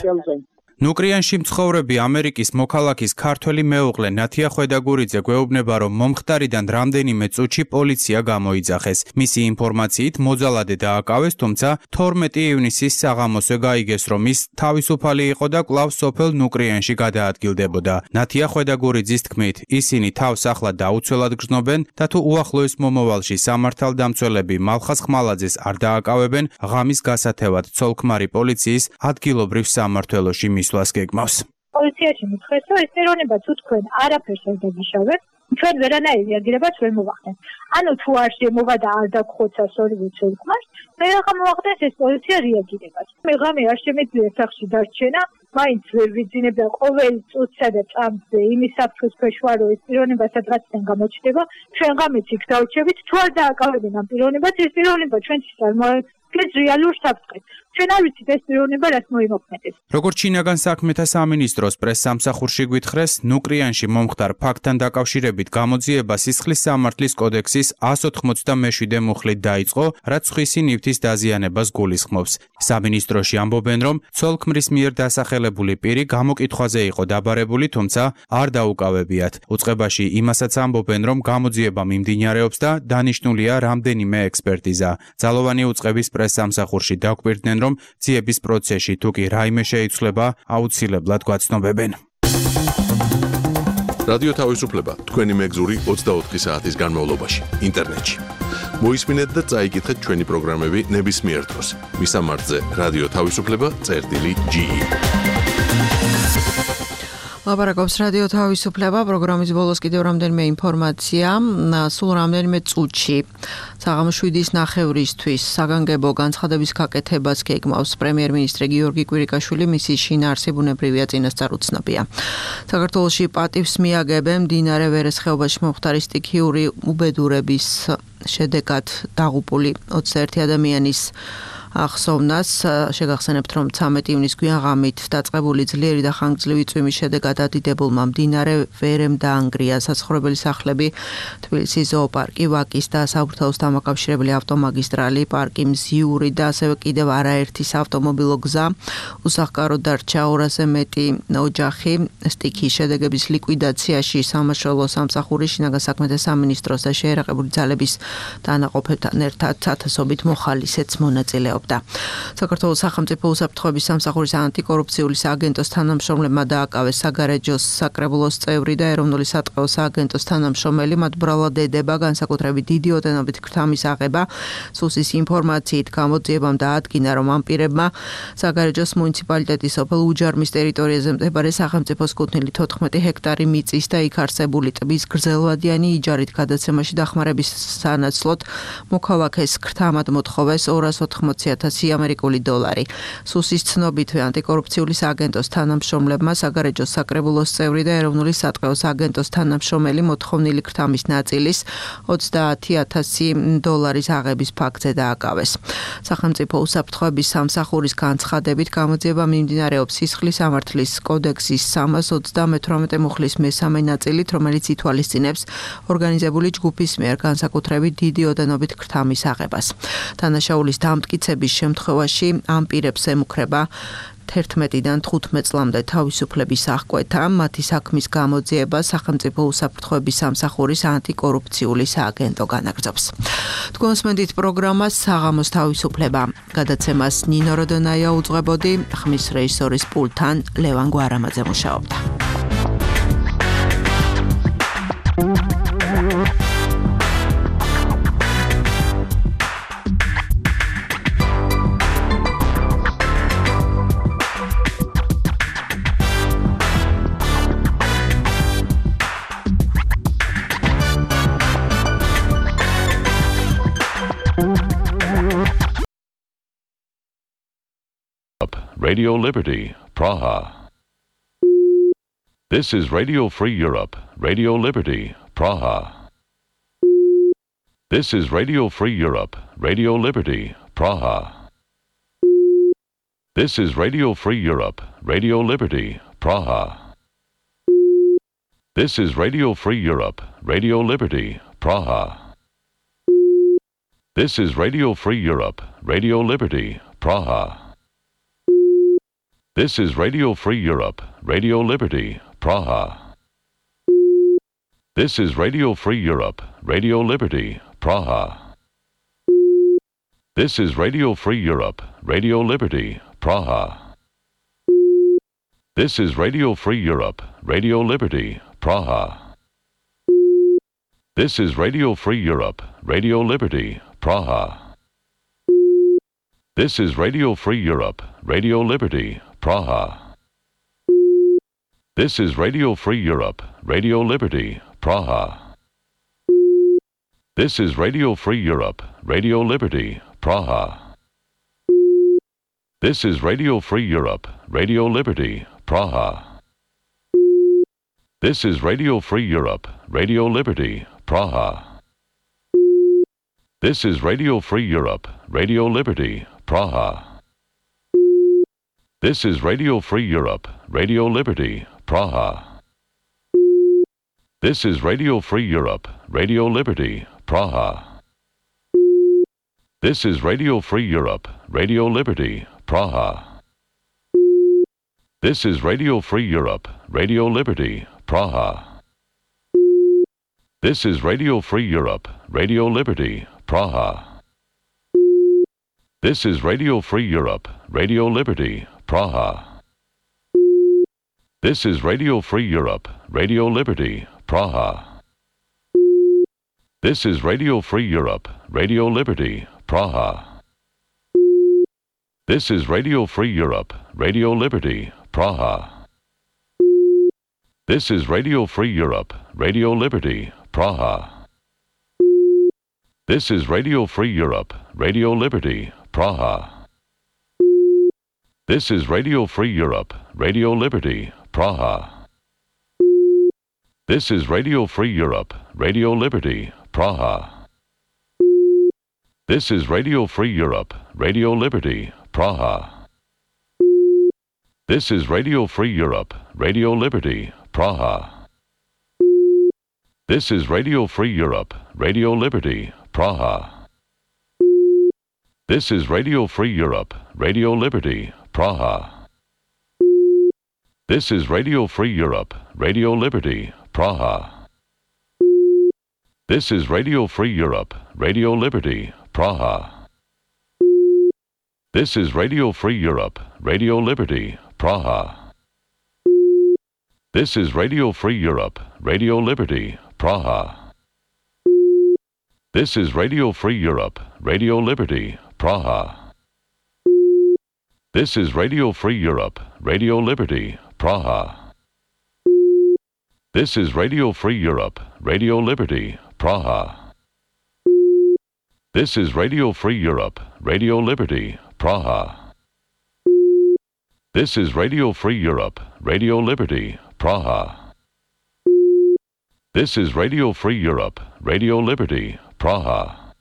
S17: ნუკრიანში მცხოვრები ამერიკის მოქალაქის ქართველი მეუღლე ნათია ხვედაგურიძე გვეუბნება, რომ მომხდარიდან რამდენიმე წუთში პოლიცია გამოიძახეს. მისი ინფორმაციით მოძალადე დააკავეს, თუმცა თორმეტი ივნისის საღამოსვე გაიგეს, რომ ის თავისუფალი იყო და კვლავ სოფელ ნუკრიანში გადაადგილდებოდა. ნათია ხვედაგურიძის თქმით, ისინი თავს ახლა დაუცველად გრძნობენ და თუ უახლოეს მომავალში სამართალდამცველები მალხაზ ხმალაძეს არ დააკავებენ, ღამის გასათევად ცოლ-ქმარი პოლიციის ადგილობრივ სამმართველოში მისვლას გეგმავს.
S5: პოლიციაში მითხრეს, რომ ეს პიროვნება თუ თქვენ არაფერს არ დაგიშავებთ, ჩვენ ვერანაირ რეაგირებას ვერ მოვახდენთ. ანუ თუ არ შემოვა და არ დაგხოცას ორივე ცოლ-ქმარს, მე რა მოვახდენს ეს პოლიცია რეაგირებას. მე ღამე არ შემიძლია სახლში დარჩენა, მაინც ვერ ვიძინებ და ყოველ წუთსა და წამზე იმის საფრთხის ქვეშ ვარ, რომ ეს პიროვნება სადღაციდან გამოჩნდება, ჩვენ ღამეც იქ დავჩებით, თუ არ დააკავებენ ამ პიროვნებას, ეს პიროვნება ჩვენთვის არ მოეკლეს რეალურ საფრთხეს. ჩვენ არ ვიცით ეს პიროვნება რას მოიმოქმედებს.
S17: როგორც შინაგან საქმეთა სამინისტროს პრესსამსახურში გვითხრეს, ნუკრიანში მომხდარ ფაქტთან დაკავშირებით გამოძიება სისხლის სამართლის კოდექსის εκατს ოთხმოცდამეშვიდე მუხლით დაიწყო, რაც სხვისი ნივთის დაზიანებას გულისხმობს. სამინისტროში ამბობენ, რომ ცოლ-ქმრის მიერ დასახელებული პირი გამოკითხვაზე იყო დაბარებული, თუმცა არ დაუკავებიათ. უწყებაში იმასაც ამბობენ, რომ გამოძიება მიმდინარეობს და დანიშნულია რამდენიმე ექსპერტიზა. ძალოვანი უწყების პრესსამსახურში დაგვირდნენ, რომ ძიების პროცესში თუ კი რაიმე შეიცვლება, აუცილებლად გვაცნობებენ.
S1: რადიო თავისუფლება თქვენი მეგზური ოცდაოთხი საათის განმავლობაში ინტერნეტში. მოისმინეთ და წაიკითხეთ ჩვენი პროგრამები ნებისმიერ დროს. მისამართზე რადიო თავისუფლება წერტილი ჯი ი.
S2: ლაპარაკობს რადიო თავისუფლება, პროგრამის ბოლოს კიდევ რამდენიმე ინფორმაცია. სულ რამდენიმე წუთში საღამოს შვიდის ნახევრისთვის საგანგებო განცხადების გაკეთებას გეგმავს პრემიერ-მინისტრი გიორგი კვირიკაშვილი, მისი შინაარსი ბუნებრივია წინასწარ უცნობია. საქართველოში პატივს მიაგებენ მდინარე ვერეს ხეობაში მომხდარი სტიქიური უბედურების შედეგად დაღუპული ოცდაერთი ადამიანის ახსოვნას. შეგახსენებთ, რომ ცამეტი ივნისის გვიან ღამით დაწყებული ძლიერი და ხანგრძლივი წვიმის შედეგად ადიდებულმა მდინარე ვერემ დაანგრია საცხოვრებელი სახლები, თბილისის ზოოპარკი, ვაკის და საბურთალოს დამაკავშირებელი ავტომაგისტრალი, პარკი მზიური და ასევე კიდევ არაერთი საავტომობილო გზა. უსახკაროდ დარჩა ორასზე მეტი ოჯახი. სტიქიის შედეგების ლიკვიდაციაში სამაშველო სამსახური, შინაგან საქმეთა სამინისტროს და შეერაყებული ძალების დანაყოფებთან ერთად ათასობით მოხალისეც მონაწილეობდა. საქართველოს სახელმწიფო უსაფრთხოების სამსახურის ანტიკორუფციული სააგენტოს თანამშრომლებმა დააკავეს საგარეჯოს საკრებულოს წევრი და ეროვნული სატყეო სააგენტოს თანამშრომელი. მათ ბრალად ედება განსაკუთრებით დიდი ოდენობით ქრთამის აღება. სუსის ინფორმაციით გამოძიებამ დაადგინა, რომ ამ პირებმა საგარეჯოს მუნიციპალიტეტის სოფელ უჯარმის ტერიტორიაზე მდებარე სახელმწიფოს კუთვნილი თოთხმეტი ჰექტარი მიწის და იქ არსებული ტბის გრძელვადიანი იჯარით გადაცემაში დახმარების სანაცვლოდ მოქალაქეს ქრთამად მოთხოვეს ორას ოთხმოცი ოცი ათასი ამერიკული დოლარი. სუსის ცნობითვე ანტიკორუფციული სააგენტოს თანამშრომლებმა საგარეჯოს საკრებულოს წევრი და ეროვნული სატყეოს აგენტოს თანამშრომელი მოთხოვნილი ქრთამის ნაწილის ოცდაათი ათასი დოლარის აღების ფაქტზე დააკავეს. სახელმწიფო უსაფრთხოების სამსახურის განცხადებით გამოძიება მიმდინარეობს სისხლის სამართლის კოდექსის სამას ოცდამეთვრამეტე მუხლის მესამე ნაწილით, რომელიც ითვალისწინებს ორგანიზებული ჯგუფის მიერ განსაკუთრებით დიდი ოდენობით ქრთამის აღებას. დანაშაულის დამტკიცების შემთხვევაში ამ პირებს ემუქრება თერთმეტიდან თხუთმეტ წლამდე თავისუფლების აღკვეთა, მათი საქმის გამოძიება სახელმწიფო უსაფრთხოების სამსახურის ანტიკორუფციული სააგენტო განაგრძობს. თქვენსმენდით პროგრამას საღამოს თავისუფლება. გადაცემას ნინო როდონაია უძღვებოდი, ხმის რეჟისორის პულტთან ლევან გვარამაძე მუშაობდა.
S18: Radio Liberty, Praha. This is Radio Free Europe, Radio Liberty, Praha. This is Radio Free Europe, Radio Liberty, Praha. This is Radio Free Europe, Radio Liberty, Praha. This is Radio Free Europe, Radio Liberty, Praha. This is Radio Free Europe, Radio Liberty, Praha. This is Radio Free Europe, Radio Liberty, Praha. This is Radio Free Europe, Radio Liberty, Praha. This is Radio Free Europe, Radio Liberty, Praha. This is Radio Free Europe, Radio Liberty, Praha. This is Radio Free Europe, Radio Liberty, Praha. This is Radio Free Europe, Radio Liberty, Praha. This is Radio Free Europe, Radio Liberty, Praha. This is Radio Free Europe, Radio Liberty, Praha. This is Radio Free Europe, Radio Liberty, Praha. This is Radio Free Europe, Radio Liberty, Praha. This is Radio Free Europe, Radio Liberty, Praha. This is Radio Free Europe, Radio Liberty, Praha. This is Radio Free Europe, Radio Liberty, Praha. This is Radio Free Europe, Radio Liberty, Praha. This is Radio Free Europe, Radio Liberty, Praha. This is Radio Free Europe, Radio Liberty, Praha. This is Radio Free Europe, Radio Liberty, Praha. This is Radio Free Europe, Radio Liberty, Praha. This is Radio Free Europe, Radio Liberty, Praha. This is Radio Free Europe, Radio Liberty, Praha. This is Radio Free Europe, Radio Liberty, Praha. This is Radio Free Europe, Radio Liberty, Praha. This is Radio Free Europe, Radio Liberty, Praha. This is Radio Free Europe, Radio Liberty, Praha. This is Radio Free Europe, Radio Liberty, Praha. This is Radio Free Europe, Radio Liberty, Praha. This is Radio Free Europe, Radio Liberty, Praha. This is Radio Free Europe, Radio Liberty, Praha. This is Radio Free Europe, Radio Liberty, Praha. This is Radio Free Europe, Radio Liberty, Praha. This is Radio Free Europe, Radio Liberty, Praha. This is Radio Free Europe, Radio Liberty, Praha. This is Radio Free Europe, Radio Liberty, Praha. This is Radio Free Europe, Radio Liberty, Praha. This is Radio Free Europe, Radio Liberty, Praha. This is Radio Free Europe, Radio Liberty, Praha. This is Radio Free Europe, Radio Liberty, Praha. This is Radio Free Europe, Radio Liberty, Praha.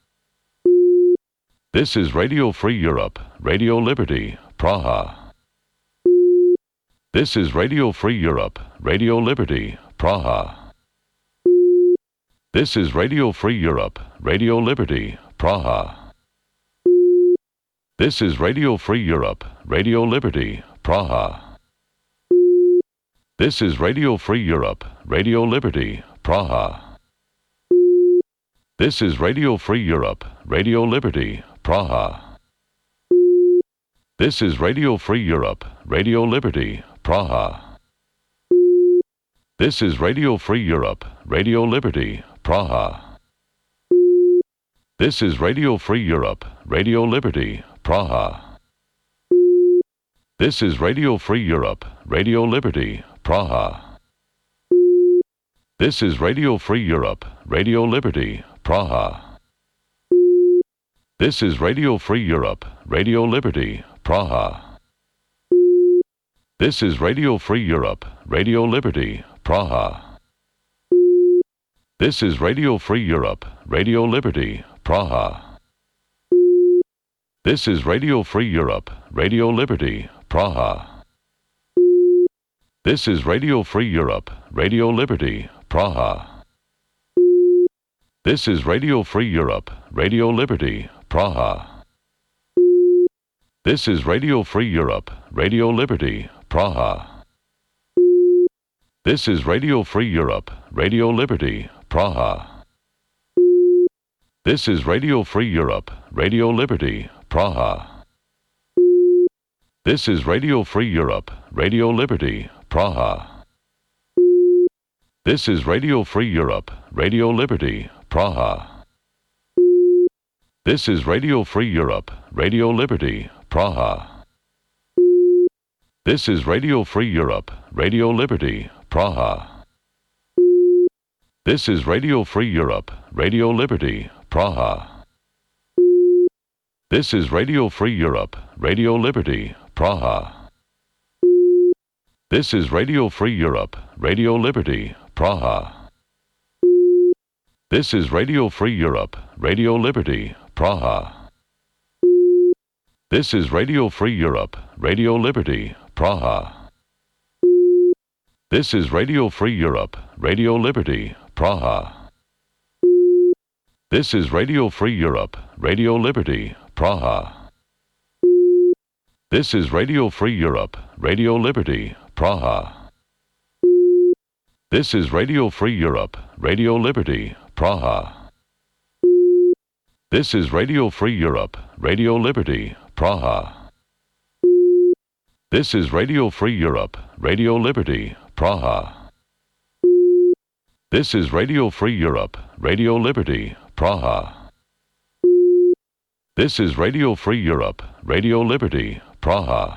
S18: This is Radio Free Europe, Radio Liberty, Praha. This is Radio Free Europe, Radio Liberty, Praha. This is Radio Free Europe, Radio Liberty, Praha. This is Radio Free Europe, Radio Liberty, Praha. This is Radio Free Europe, Radio Liberty, Praha. This is Radio Free Europe, Radio Liberty, Praha. This is Radio Free Europe, Radio Liberty, Praha. This is Radio Free Europe, Radio Liberty, Praha. This is Radio Free Europe, Radio Liberty, Praha. This is Radio Free Europe, Radio Liberty, Praha. This is Radio Free Europe, Radio Liberty, Praha. This is Radio Free Europe, Radio Liberty, Praha. This is Radio Free Europe, Radio Liberty, Praha. This is Radio Free Europe, Radio Liberty, Praha. This is Radio Free Europe, Radio Liberty, Praha. This is Radio Free Europe, Radio Liberty, Praha. This is Radio Free Europe, Radio Liberty, Praha. This is Radio Free Europe, Radio Liberty, Praha. This is Radio Free Europe, Radio Liberty, Praha. This is Radio Free Europe, Radio Liberty, Praha. This is Radio Free Europe, Radio Liberty, Praha. This is Radio Free Europe, Radio Liberty, Praha. This is Radio Free Europe, Radio Liberty, Praha. This is Radio Free Europe, Radio Liberty, Praha. This is Radio Free Europe, Radio Liberty, Praha. This is Radio Free Europe, Radio Liberty, Praha. This is Radio Free Europe, Radio Liberty, Praha. This is Radio Free Europe, Radio Liberty, Praha. This is Radio Free Europe, Radio Liberty, Praha. This is Radio Free Europe, Radio Liberty, Praha. This is Radio Free Europe, Radio Liberty, Praha. This is Radio Free Europe, Radio Liberty, Praha. This is Radio Free Europe, Radio Liberty, Praha. This is Radio Free Europe, Radio Liberty, Praha. This is Radio Free Europe, Radio Liberty, Praha. This is Radio Free Europe, Radio Liberty, Praha. This is Radio Free Europe, Radio Liberty, Praha.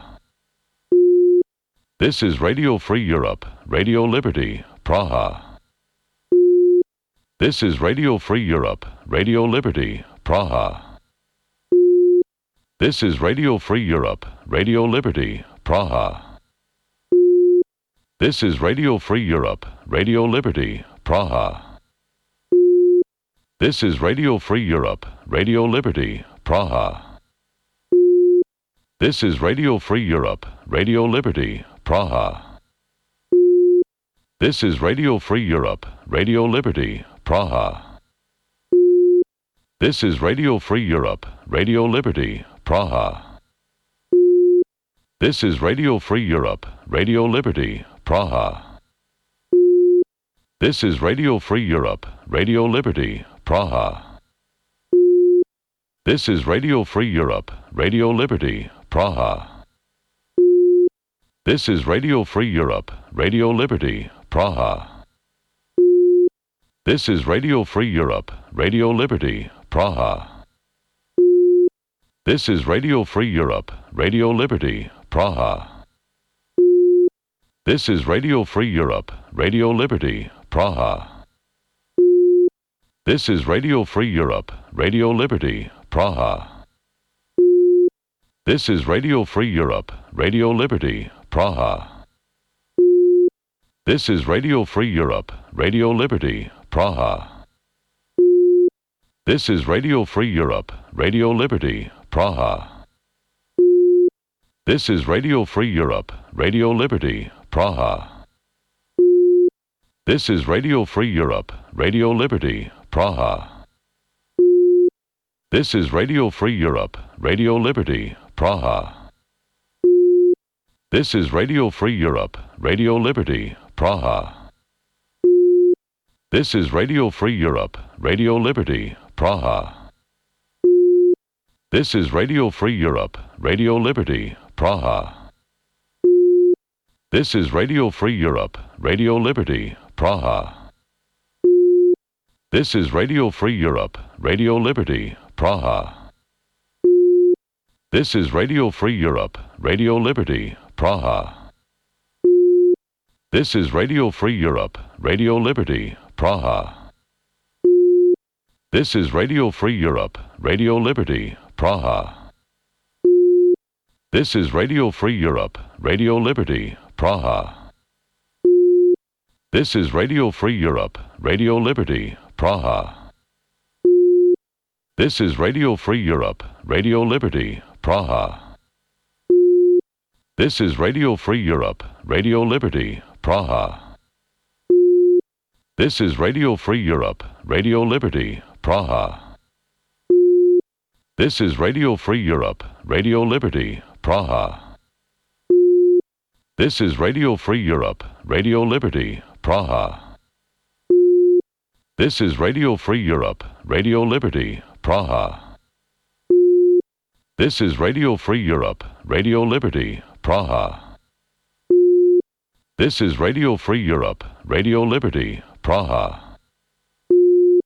S18: This is Radio Free Europe, Radio Liberty, Praha. This is Radio Free Europe, Radio Liberty, Praha. This is Radio Free Europe, Radio Liberty, Praha. This is Radio Free Europe, Radio Liberty, Praha. This is Radio Free Europe, Radio Liberty, Praha. This is Radio Free Europe, Radio Liberty, Praha. This is Radio Free Europe, Radio Liberty, Praha. This is Radio Free Europe, Radio Liberty, Praha. This is Radio Free Europe, Radio Liberty, Praha. This is Radio Free Europe, Radio Liberty, Praha. This is Radio Free Europe, Radio Liberty, Praha. This is Radio Free Europe, Radio Liberty, Praha. This is Radio Free Europe, Radio Liberty, Praha. This is Radio Free Europe, Radio Liberty, Praha. This is Radio Free Europe, Radio Liberty, Praha. This is Radio Free Europe, Radio Liberty, Praha. This is Radio Free Europe, Radio Liberty, Praha. This is Radio Free Europe, Radio Liberty, Praha. This is Radio Free Europe, Radio Liberty, Praha. This is Radio Free Europe, Radio Liberty, Praha. This is Radio Free Europe, Radio Liberty, Praha. This is Radio Free Europe, Radio Liberty, Praha. This is Radio Free Europe, Radio Liberty, Praha. This is Radio Free Europe, Radio Liberty, Praha. This is Radio Free Europe, Radio Liberty, Praha. This is Radio Free Europe, Radio Liberty, Praha. This is Radio Free Europe, Radio Liberty, Praha. This is Radio Free Europe, Radio Liberty, Praha. This is Radio Free Europe, Radio Liberty, Praha. This is Radio Free Europe, Radio Liberty, Praha. This is Radio Free Europe, Radio Liberty, Praha. This is Radio Free Europe, Radio Liberty, Praha. This is Radio Free Europe, Radio Liberty, Praha. This is Radio Free Europe, Radio Liberty, Praha. This is Radio Free Europe, Radio Liberty, Praha. This is Radio Free Europe, Radio Liberty, Praha. This is Radio Free Europe, Radio Liberty, Praha. This is Radio Free Europe, Radio Liberty, Praha. This is Radio Free Europe, Radio Liberty, Praha. This is Radio Free Europe, Radio Liberty, Praha.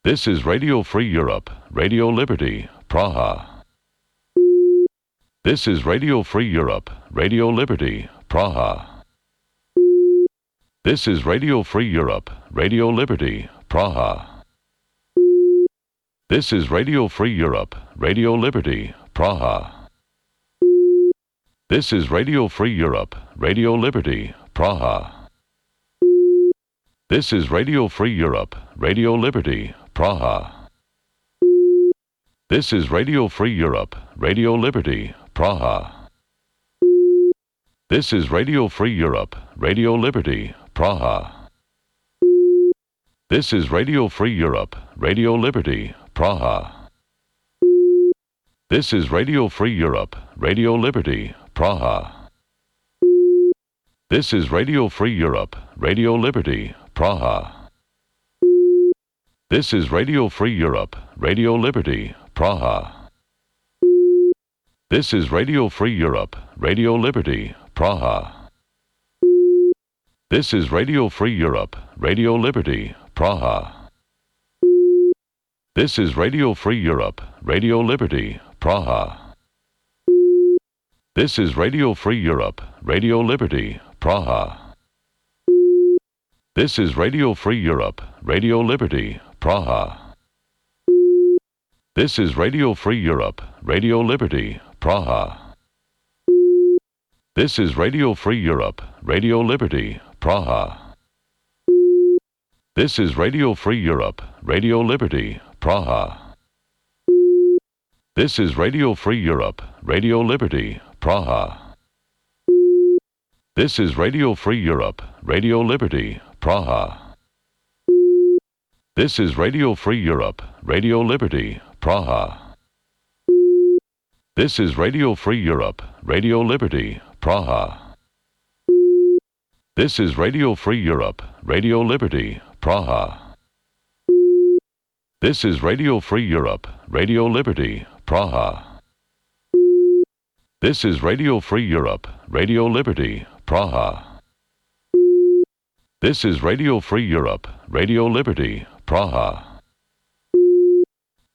S18: This is Radio Free Europe, Radio Liberty, Praha. This is Radio Free Europe, Radio Liberty, Praha. This is Radio Free Europe, Radio Liberty, Praha. This is Radio Free Europe, Radio Liberty, Praha. This is Radio Free Europe, Radio Liberty, Praha. This is Radio Free Europe, Radio Liberty, Praha. This is Radio Free Europe, Radio Liberty, Praha. This is Radio Free Europe, Radio Liberty, Praha. This is Radio Free Europe, Radio Liberty, Praha. This is Radio Free Europe, Radio Liberty, Praha. This is Radio Free Europe, Radio Liberty, Praha. This is Radio Free Europe, Radio Liberty, Praha. This is Radio Free Europe, Radio Liberty, Praha. This is Radio Free Europe, Radio Liberty, Praha. This is Radio Free Europe, Radio Liberty, Praha. This is Radio Free Europe, Radio Liberty, Praha. This is Radio Free Europe, Radio Liberty, Praha. This is Radio Free Europe, Radio Liberty, Praha. This is Radio Free Europe, Radio Liberty, Praha. This is Radio Free Europe, Radio Liberty, Praha. This is Radio Free Europe, Radio Liberty, Praha. This is Radio Free Europe, Radio Liberty, Praha. This is Radio Free Europe, Radio Liberty, Praha. This is Radio Free Europe, Radio Liberty, Praha. This is Radio Free Europe, Radio Liberty, Praha. This is Radio Free Europe, Radio Liberty, Praha. This is Radio Free Europe, Radio Liberty, Praha. This is Radio Free Europe, Radio Liberty, Praha.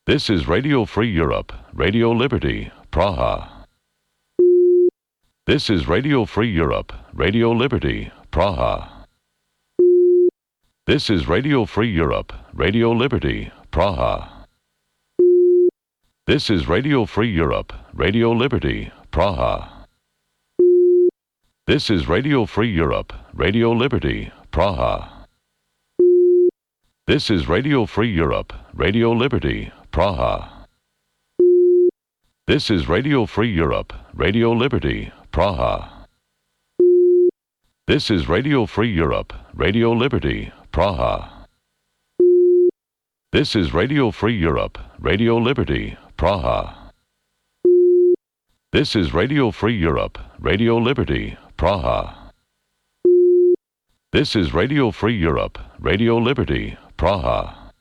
S18: This is Radio Free Europe, Radio Liberty, Praha. This is Radio Free Europe, Radio Liberty, Praha. This is Radio Free Europe, Radio Liberty, Praha. This is Radio Free Europe, Radio Liberty, Praha. This is Radio Free Europe, Radio Liberty, Praha. This is Radio Free Europe, Radio Liberty, Praha. This is Radio Free Europe, Radio Liberty, Praha. This is Radio Free Europe, Radio Liberty, Praha. This is Radio Free Europe, Radio Liberty, Praha. This is Radio Free Europe, Radio Liberty, Praha. This is Radio Free Europe, Radio Liberty, Praha.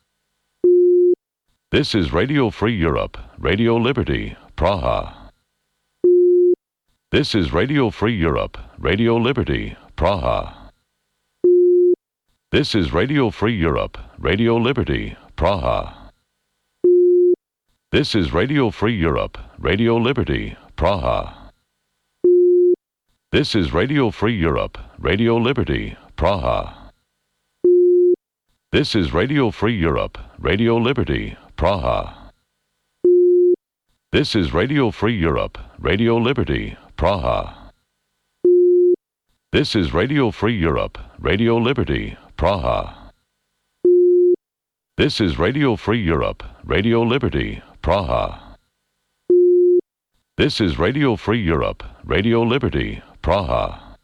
S18: This is Radio Free Europe, Radio Liberty, Praha. This is Radio Free Europe, Radio Liberty, Praha. This is Radio Free Europe, Radio Liberty, Praha. This is Radio Free Europe, Radio Liberty, Praha. This is Radio Free Europe, Radio Liberty, Praha. This is Radio Free Europe, Radio Liberty, Praha. This is Radio Free Europe, Radio Liberty, Praha. This is Radio Free Europe, Radio Liberty, Praha. This is Radio Free Europe, Radio Liberty, Praha. This is Radio Free Europe, Radio Liberty, Praha.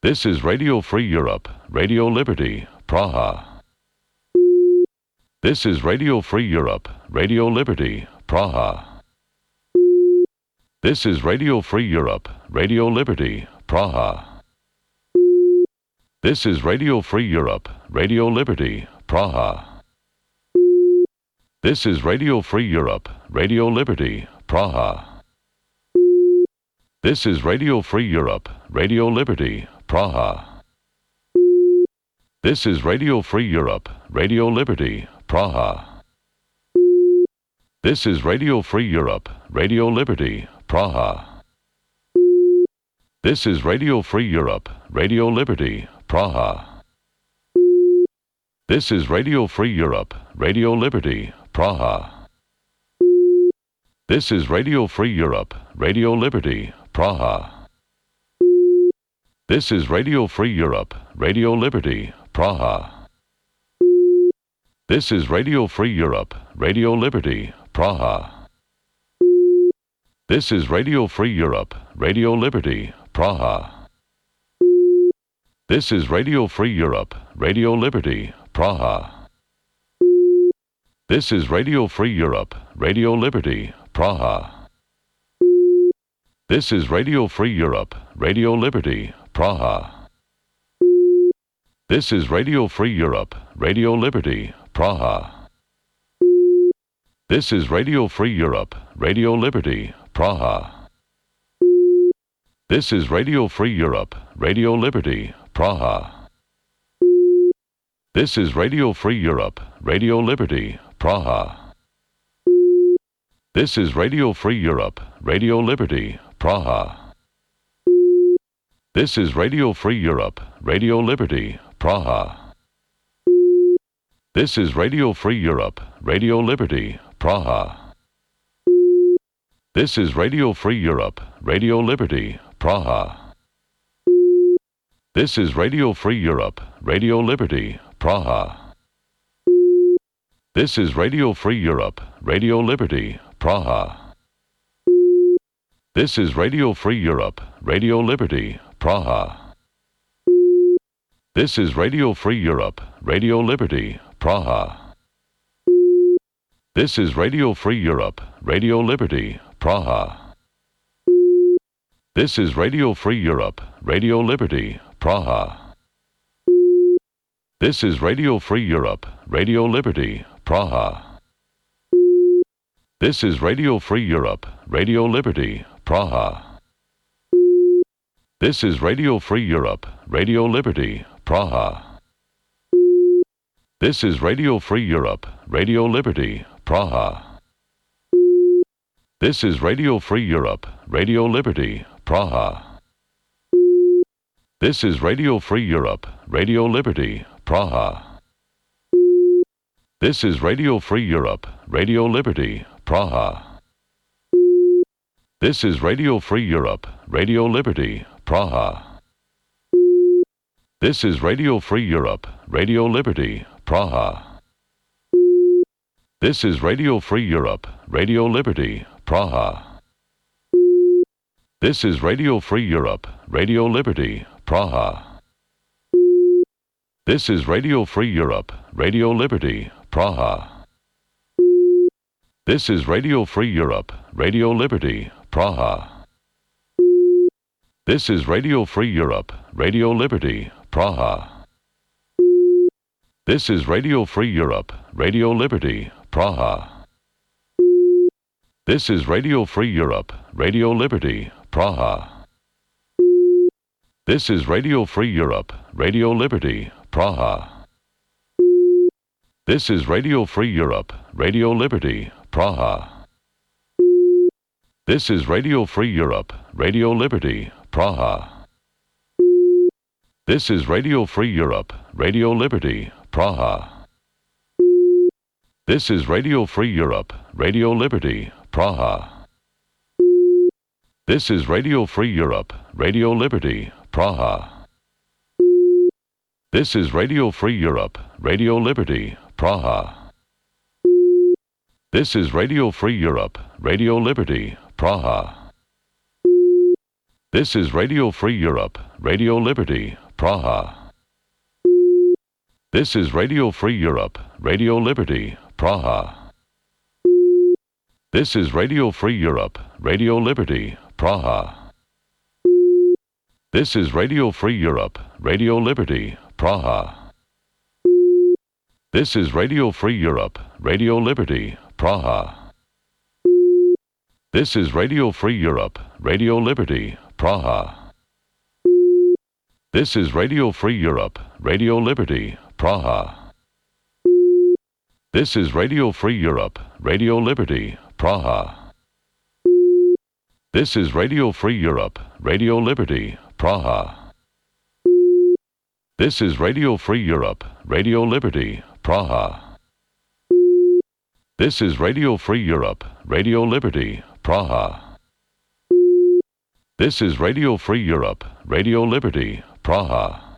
S18: This is Radio Free Europe, Radio Liberty, Praha. This is Radio Free Europe, Radio Liberty, Praha. This is Radio Free Europe, Radio Liberty, Praha. This is Radio Free Europe, Radio Liberty, Praha. This is Radio Free Europe, Radio Liberty, Praha. This is Radio Free Europe, Radio Liberty, Praha. This is Radio Free Europe, Radio Liberty, Praha. This is Radio Free Europe, Radio Liberty, Praha. This is Radio Free Europe, Radio Liberty, Praha. This is Radio Free Europe, Radio Liberty, Praha. This is Radio Free Europe, Radio Liberty, Praha. This is Radio Free Europe, Radio Liberty, Praha. This is Radio Free Europe, Radio Liberty, Praha. This is Radio Free Europe, Radio Liberty, Praha. This is Radio Free Europe, Radio Liberty, Praha. This is Radio Free Europe, Radio Liberty, Praha. This is Radio Free Europe, Radio Liberty, Praha. This is Radio Free Europe, Radio Liberty, Praha. This is Radio Free Europe, Radio Liberty, Praha. This is Radio Free Europe, Radio Liberty, Praha. This is Radio Free Europe, Radio Liberty, Praha. This is Radio Free Europe, Radio Liberty, Praha. This is Radio Free Europe, Radio Liberty, Praha. This is Radio Free Europe, Radio Liberty, Praha. This is Radio Free Europe, Radio Liberty, Praha. This is Radio Free Europe, Radio Liberty, Praha. This is Radio Free Europe, Radio Liberty, Praha. This is Radio Free Europe, Radio Liberty, Praha. This is Radio Free Europe, Radio Liberty, Praha. This is Radio Free Europe, Radio Liberty, Praha. This is Radio Free Europe, Radio Liberty, Praha. This is Radio Free Europe, Radio Liberty, Praha. This is Radio Free Europe, Radio Liberty, Praha. This is Radio Free Europe, Radio Liberty, Praha. This is Radio Free Europe, Radio Liberty, Praha. This is Radio Free Europe, Radio Liberty, Praha. This is Radio Free Europe, Radio Liberty, Praha. This is Radio Free Europe, Radio Liberty, Praha. This is Radio Free Europe, Radio Liberty, Praha. This is Radio Free Europe, Radio Liberty, Praha. This is Radio Free Europe, Radio Liberty, Praha. This is Radio Free Europe, Radio Liberty, Praha. This is Radio Free Europe, Radio Liberty, Praha. This is Radio Free Europe, Radio Liberty, Praha. This is Radio Free Europe, Radio Liberty, Praha. This is Radio Free Europe, Radio Liberty, Praha. This is Radio Free Europe, Radio Liberty, Praha. This is Radio Free Europe, Radio Liberty, Praha. This is Radio Free Europe, Radio Liberty, Praha. This is Radio Free Europe, Radio Liberty, Praha. This is Radio Free Europe, Radio Liberty, Praha. This is Radio Free Europe, Radio Liberty, Praha. This is Radio Free Europe, Radio Liberty, Praha. This is Radio Free Europe, Radio Liberty, Praha. This is Radio Free Europe, Radio Liberty, Praha. This is Radio Free Europe, Radio Liberty, Praha. This is Radio Free Europe, Radio Liberty, Praha. This is Radio Free Europe, Radio Liberty, Praha. This is Radio Free Europe, Radio Liberty, Praha. This is Radio Free Europe, Radio Liberty, Praha. This is Radio Free Europe, Radio Liberty, Praha. This is Radio Free Europe, Radio Liberty, Praha. This is Radio Free Europe, Radio Liberty, Praha. This is Radio Free Europe, Radio Liberty, Praha. This is Radio Free Europe, Radio Liberty, Praha. This is Radio Free Europe, Radio Liberty, Praha. This is Radio Free Europe, Radio Liberty, Praha.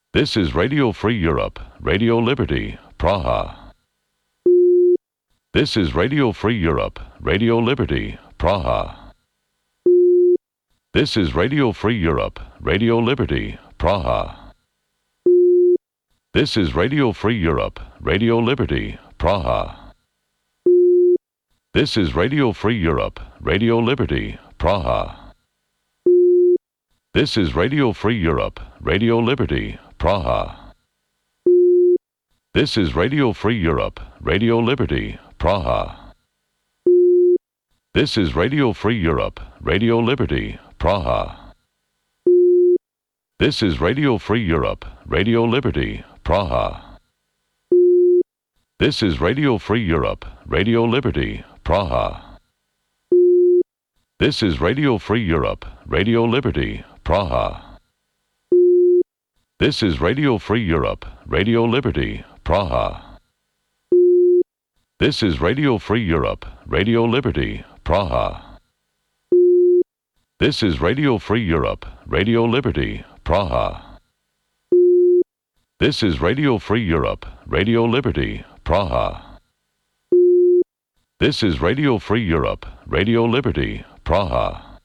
S18: This is Radio Free Europe, Radio Liberty, Praha. This is Radio Free Europe, Radio Liberty, Praha. This is Radio Free Europe, Radio Liberty, Praha. This is Radio Free Europe, Radio Liberty, Praha. This is Radio Free Europe, Radio Liberty, Praha. This is Radio Free Europe, Radio Liberty, Praha. This is Radio Free Europe, Radio Liberty, Praha. This is Radio Free Europe, Radio Liberty, Praha. This is Radio Free Europe, Radio Liberty, Praha. This is Radio Free Europe, Radio Liberty, Praha. This is Radio Free Europe, Radio Liberty, Praha. This is Radio Free Europe, Radio Liberty, Praha. This is Radio Free Europe, Radio Liberty, Praha. This is Radio Free Europe, Radio Liberty, Praha. This is Radio Free Europe, Radio Liberty, Praha. This is Radio Free Europe, Radio Liberty, Praha.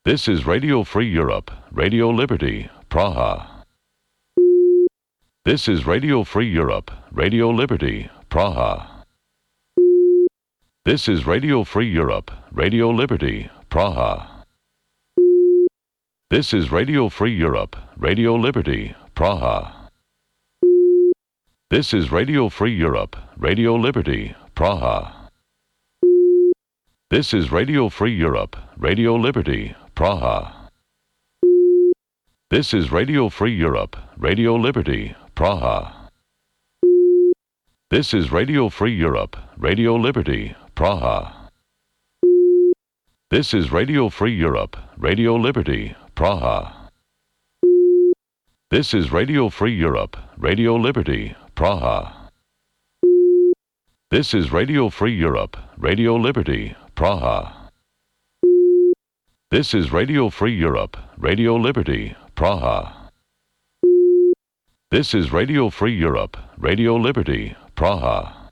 S18: This is Radio Free Europe, Radio Liberty, Praha. This is Radio Free Europe, Radio Liberty, Praha. This is Radio Free Europe, Radio Liberty, Praha. This is Radio Free Europe, Radio Liberty, Praha. This is Radio Free Europe, Radio Liberty, Praha. This is Radio Free Europe, Radio Liberty, Praha. This is Radio Free Europe, Radio Liberty, Praha. This is Radio Free Europe, Radio Liberty, Praha. This is Radio Free Europe, Radio Liberty, Praha. This is Radio Free Europe, Radio Liberty, Praha. This is Radio Free Europe, Radio Liberty, Praha. This is Radio Free Europe, Radio Liberty, Praha. This is Radio Free Europe, Radio Liberty, Praha.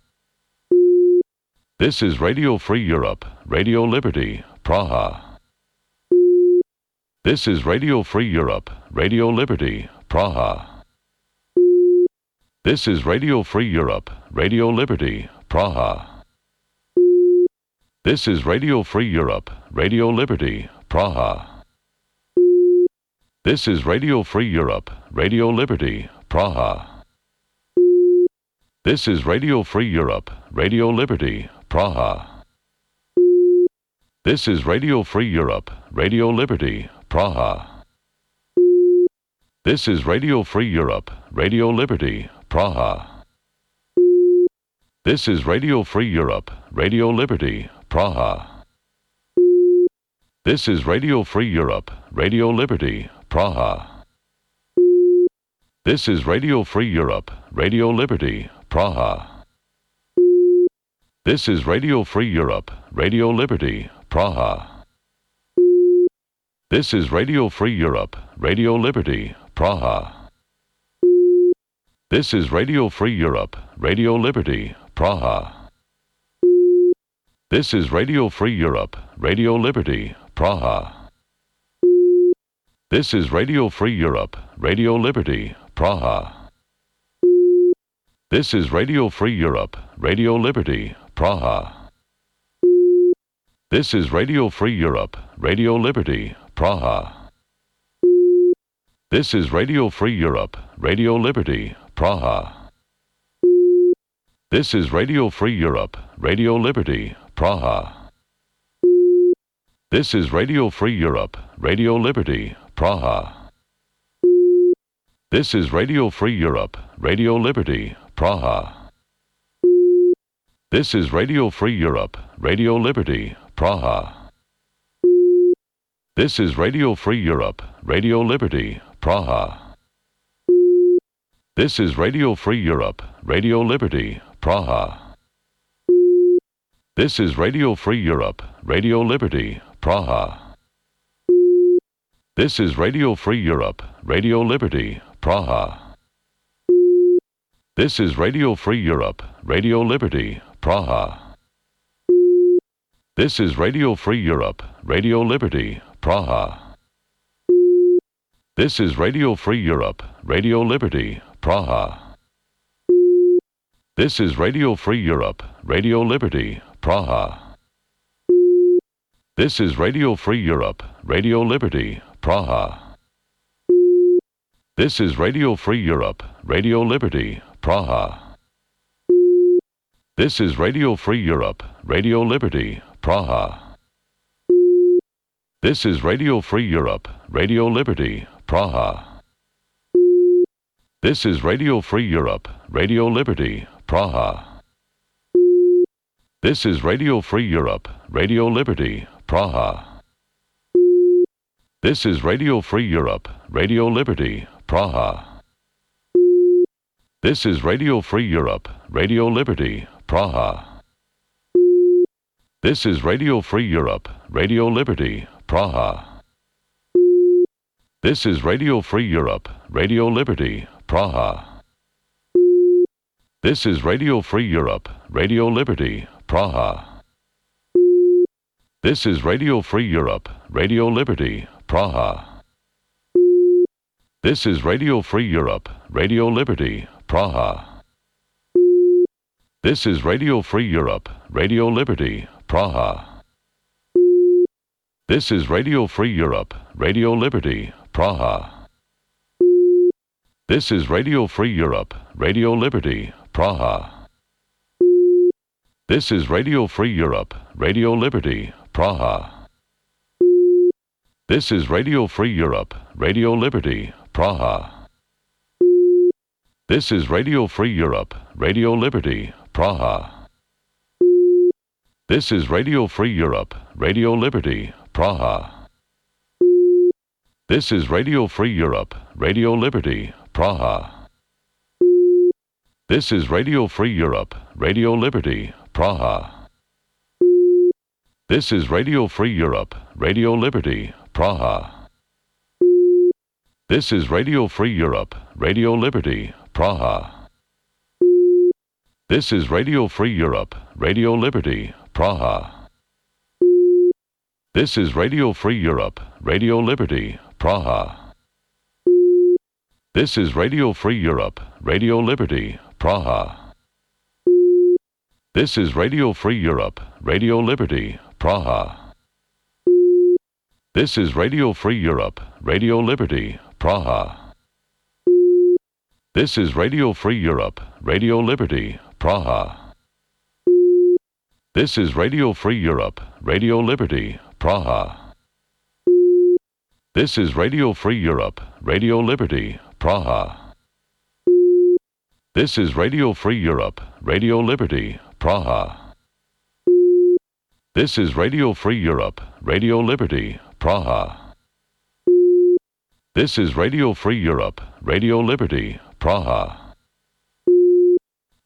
S18: This is Radio Free Europe, Radio Liberty, Praha. This is Radio Free Europe, Radio Liberty, Praha. This is Radio Free Europe, Radio Liberty, Praha. This is Radio Free Europe, Radio Liberty, Praha. This is Radio Free Europe, Radio Liberty, Praha. This is Radio Free Europe, Radio Liberty, Praha. This is Radio Free Europe, Radio Liberty, Praha. This is Radio Free Europe, Radio Liberty, Praha. This is Radio Free Europe, Radio Liberty, Praha. This is Radio Free Europe, Radio Liberty, Praha. This is Radio Free Europe, Radio Liberty, Praha. This is Radio Free Europe, Radio Liberty, Praha. This is Radio Free Europe, Radio Liberty, Praha. This is Radio Free Europe, Radio Liberty, Praha. This is Radio Free Europe, Radio Liberty, Praha. This is Radio Free Europe, Radio Liberty, Praha. This is Radio Free Europe, Radio Liberty, Praha. This is Radio Free Europe, Radio Liberty, Praha. This is Radio Free Europe, Radio Liberty, Praha. This is Radio Free Europe, Radio Liberty, Praha. This is Radio Free Europe, Radio Liberty, Praha. This is Radio Free Europe, Radio Liberty, Praha. This is Radio Free Europe, Radio Liberty, Praha. This is Radio Free Europe, Radio Liberty, Praha. This is Radio Free Europe, Radio Liberty, Praha. This is Radio Free Europe, Radio Liberty, Praha. This is Radio Free Europe, Radio Liberty, Praha. This is Radio Free Europe, Radio Liberty, Praha. This is Radio Free Europe, Radio Liberty, Praha. This is Radio Free Europe, Radio Liberty, Praha. This is Radio Free Europe, Radio Liberty, Praha. This is Radio Free Europe, Radio Liberty, Praha. This is Radio Free Europe, Radio Liberty, Praha. This is Radio Free Europe, Radio Liberty, Praha. This is Radio Free Europe, Radio Liberty, Praha. This is Radio Free Europe, Radio Liberty, Praha. This is Radio Free Europe, Radio Liberty, Praha. This is Radio Free Europe, Radio Liberty, Praha. This is Radio Free Europe, Radio Liberty, Praha. This is Radio Free Europe, Radio Liberty, Praha. This is Radio Free Europe, Radio Liberty, Praha. This is Radio Free Europe, Radio Liberty, Praha. This is Radio Free Europe, Radio Liberty, Praha. This is Radio Free Europe, Radio Liberty, Praha. This is Radio Free Europe, Radio Liberty, Praha. This is Radio Free Europe, Radio Liberty, Praha. This is Radio Free Europe, Radio Liberty, Praha. This is Radio Free Europe, Radio Liberty, Praha. This is Radio Free Europe, Radio Liberty, Praha. This is Radio Free Europe, Radio Liberty, Praha. This is Radio Free Europe, Radio Liberty, Praha. This is Radio Free Europe, Radio Liberty, Praha. This is Radio Free Europe, Radio Liberty, Praha. This is Radio Free Europe, Radio Liberty, Praha. This is Radio Free Europe, Radio Liberty, Praha. This is Radio Free Europe, Radio Liberty, Praha. This is Radio Free Europe, Radio Liberty, Praha. This is Radio Free Europe, Radio Liberty, Praha. This is Radio Free Europe, Radio Liberty, Praha. This is Radio Free Europe, Radio Liberty, Praha. This is Radio Free Europe, Radio Liberty, Praha. This is Radio Free Europe, Radio Liberty, Praha. This is Radio Free Europe, Radio Liberty, Praha. This is Radio Free Europe, Radio Liberty, Praha. This is Radio Free Europe, Radio Liberty, Praha. This is Radio Free Europe, Radio Liberty, Praha.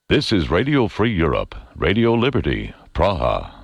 S18: This is Radio Free Europe, Radio Liberty, Praha.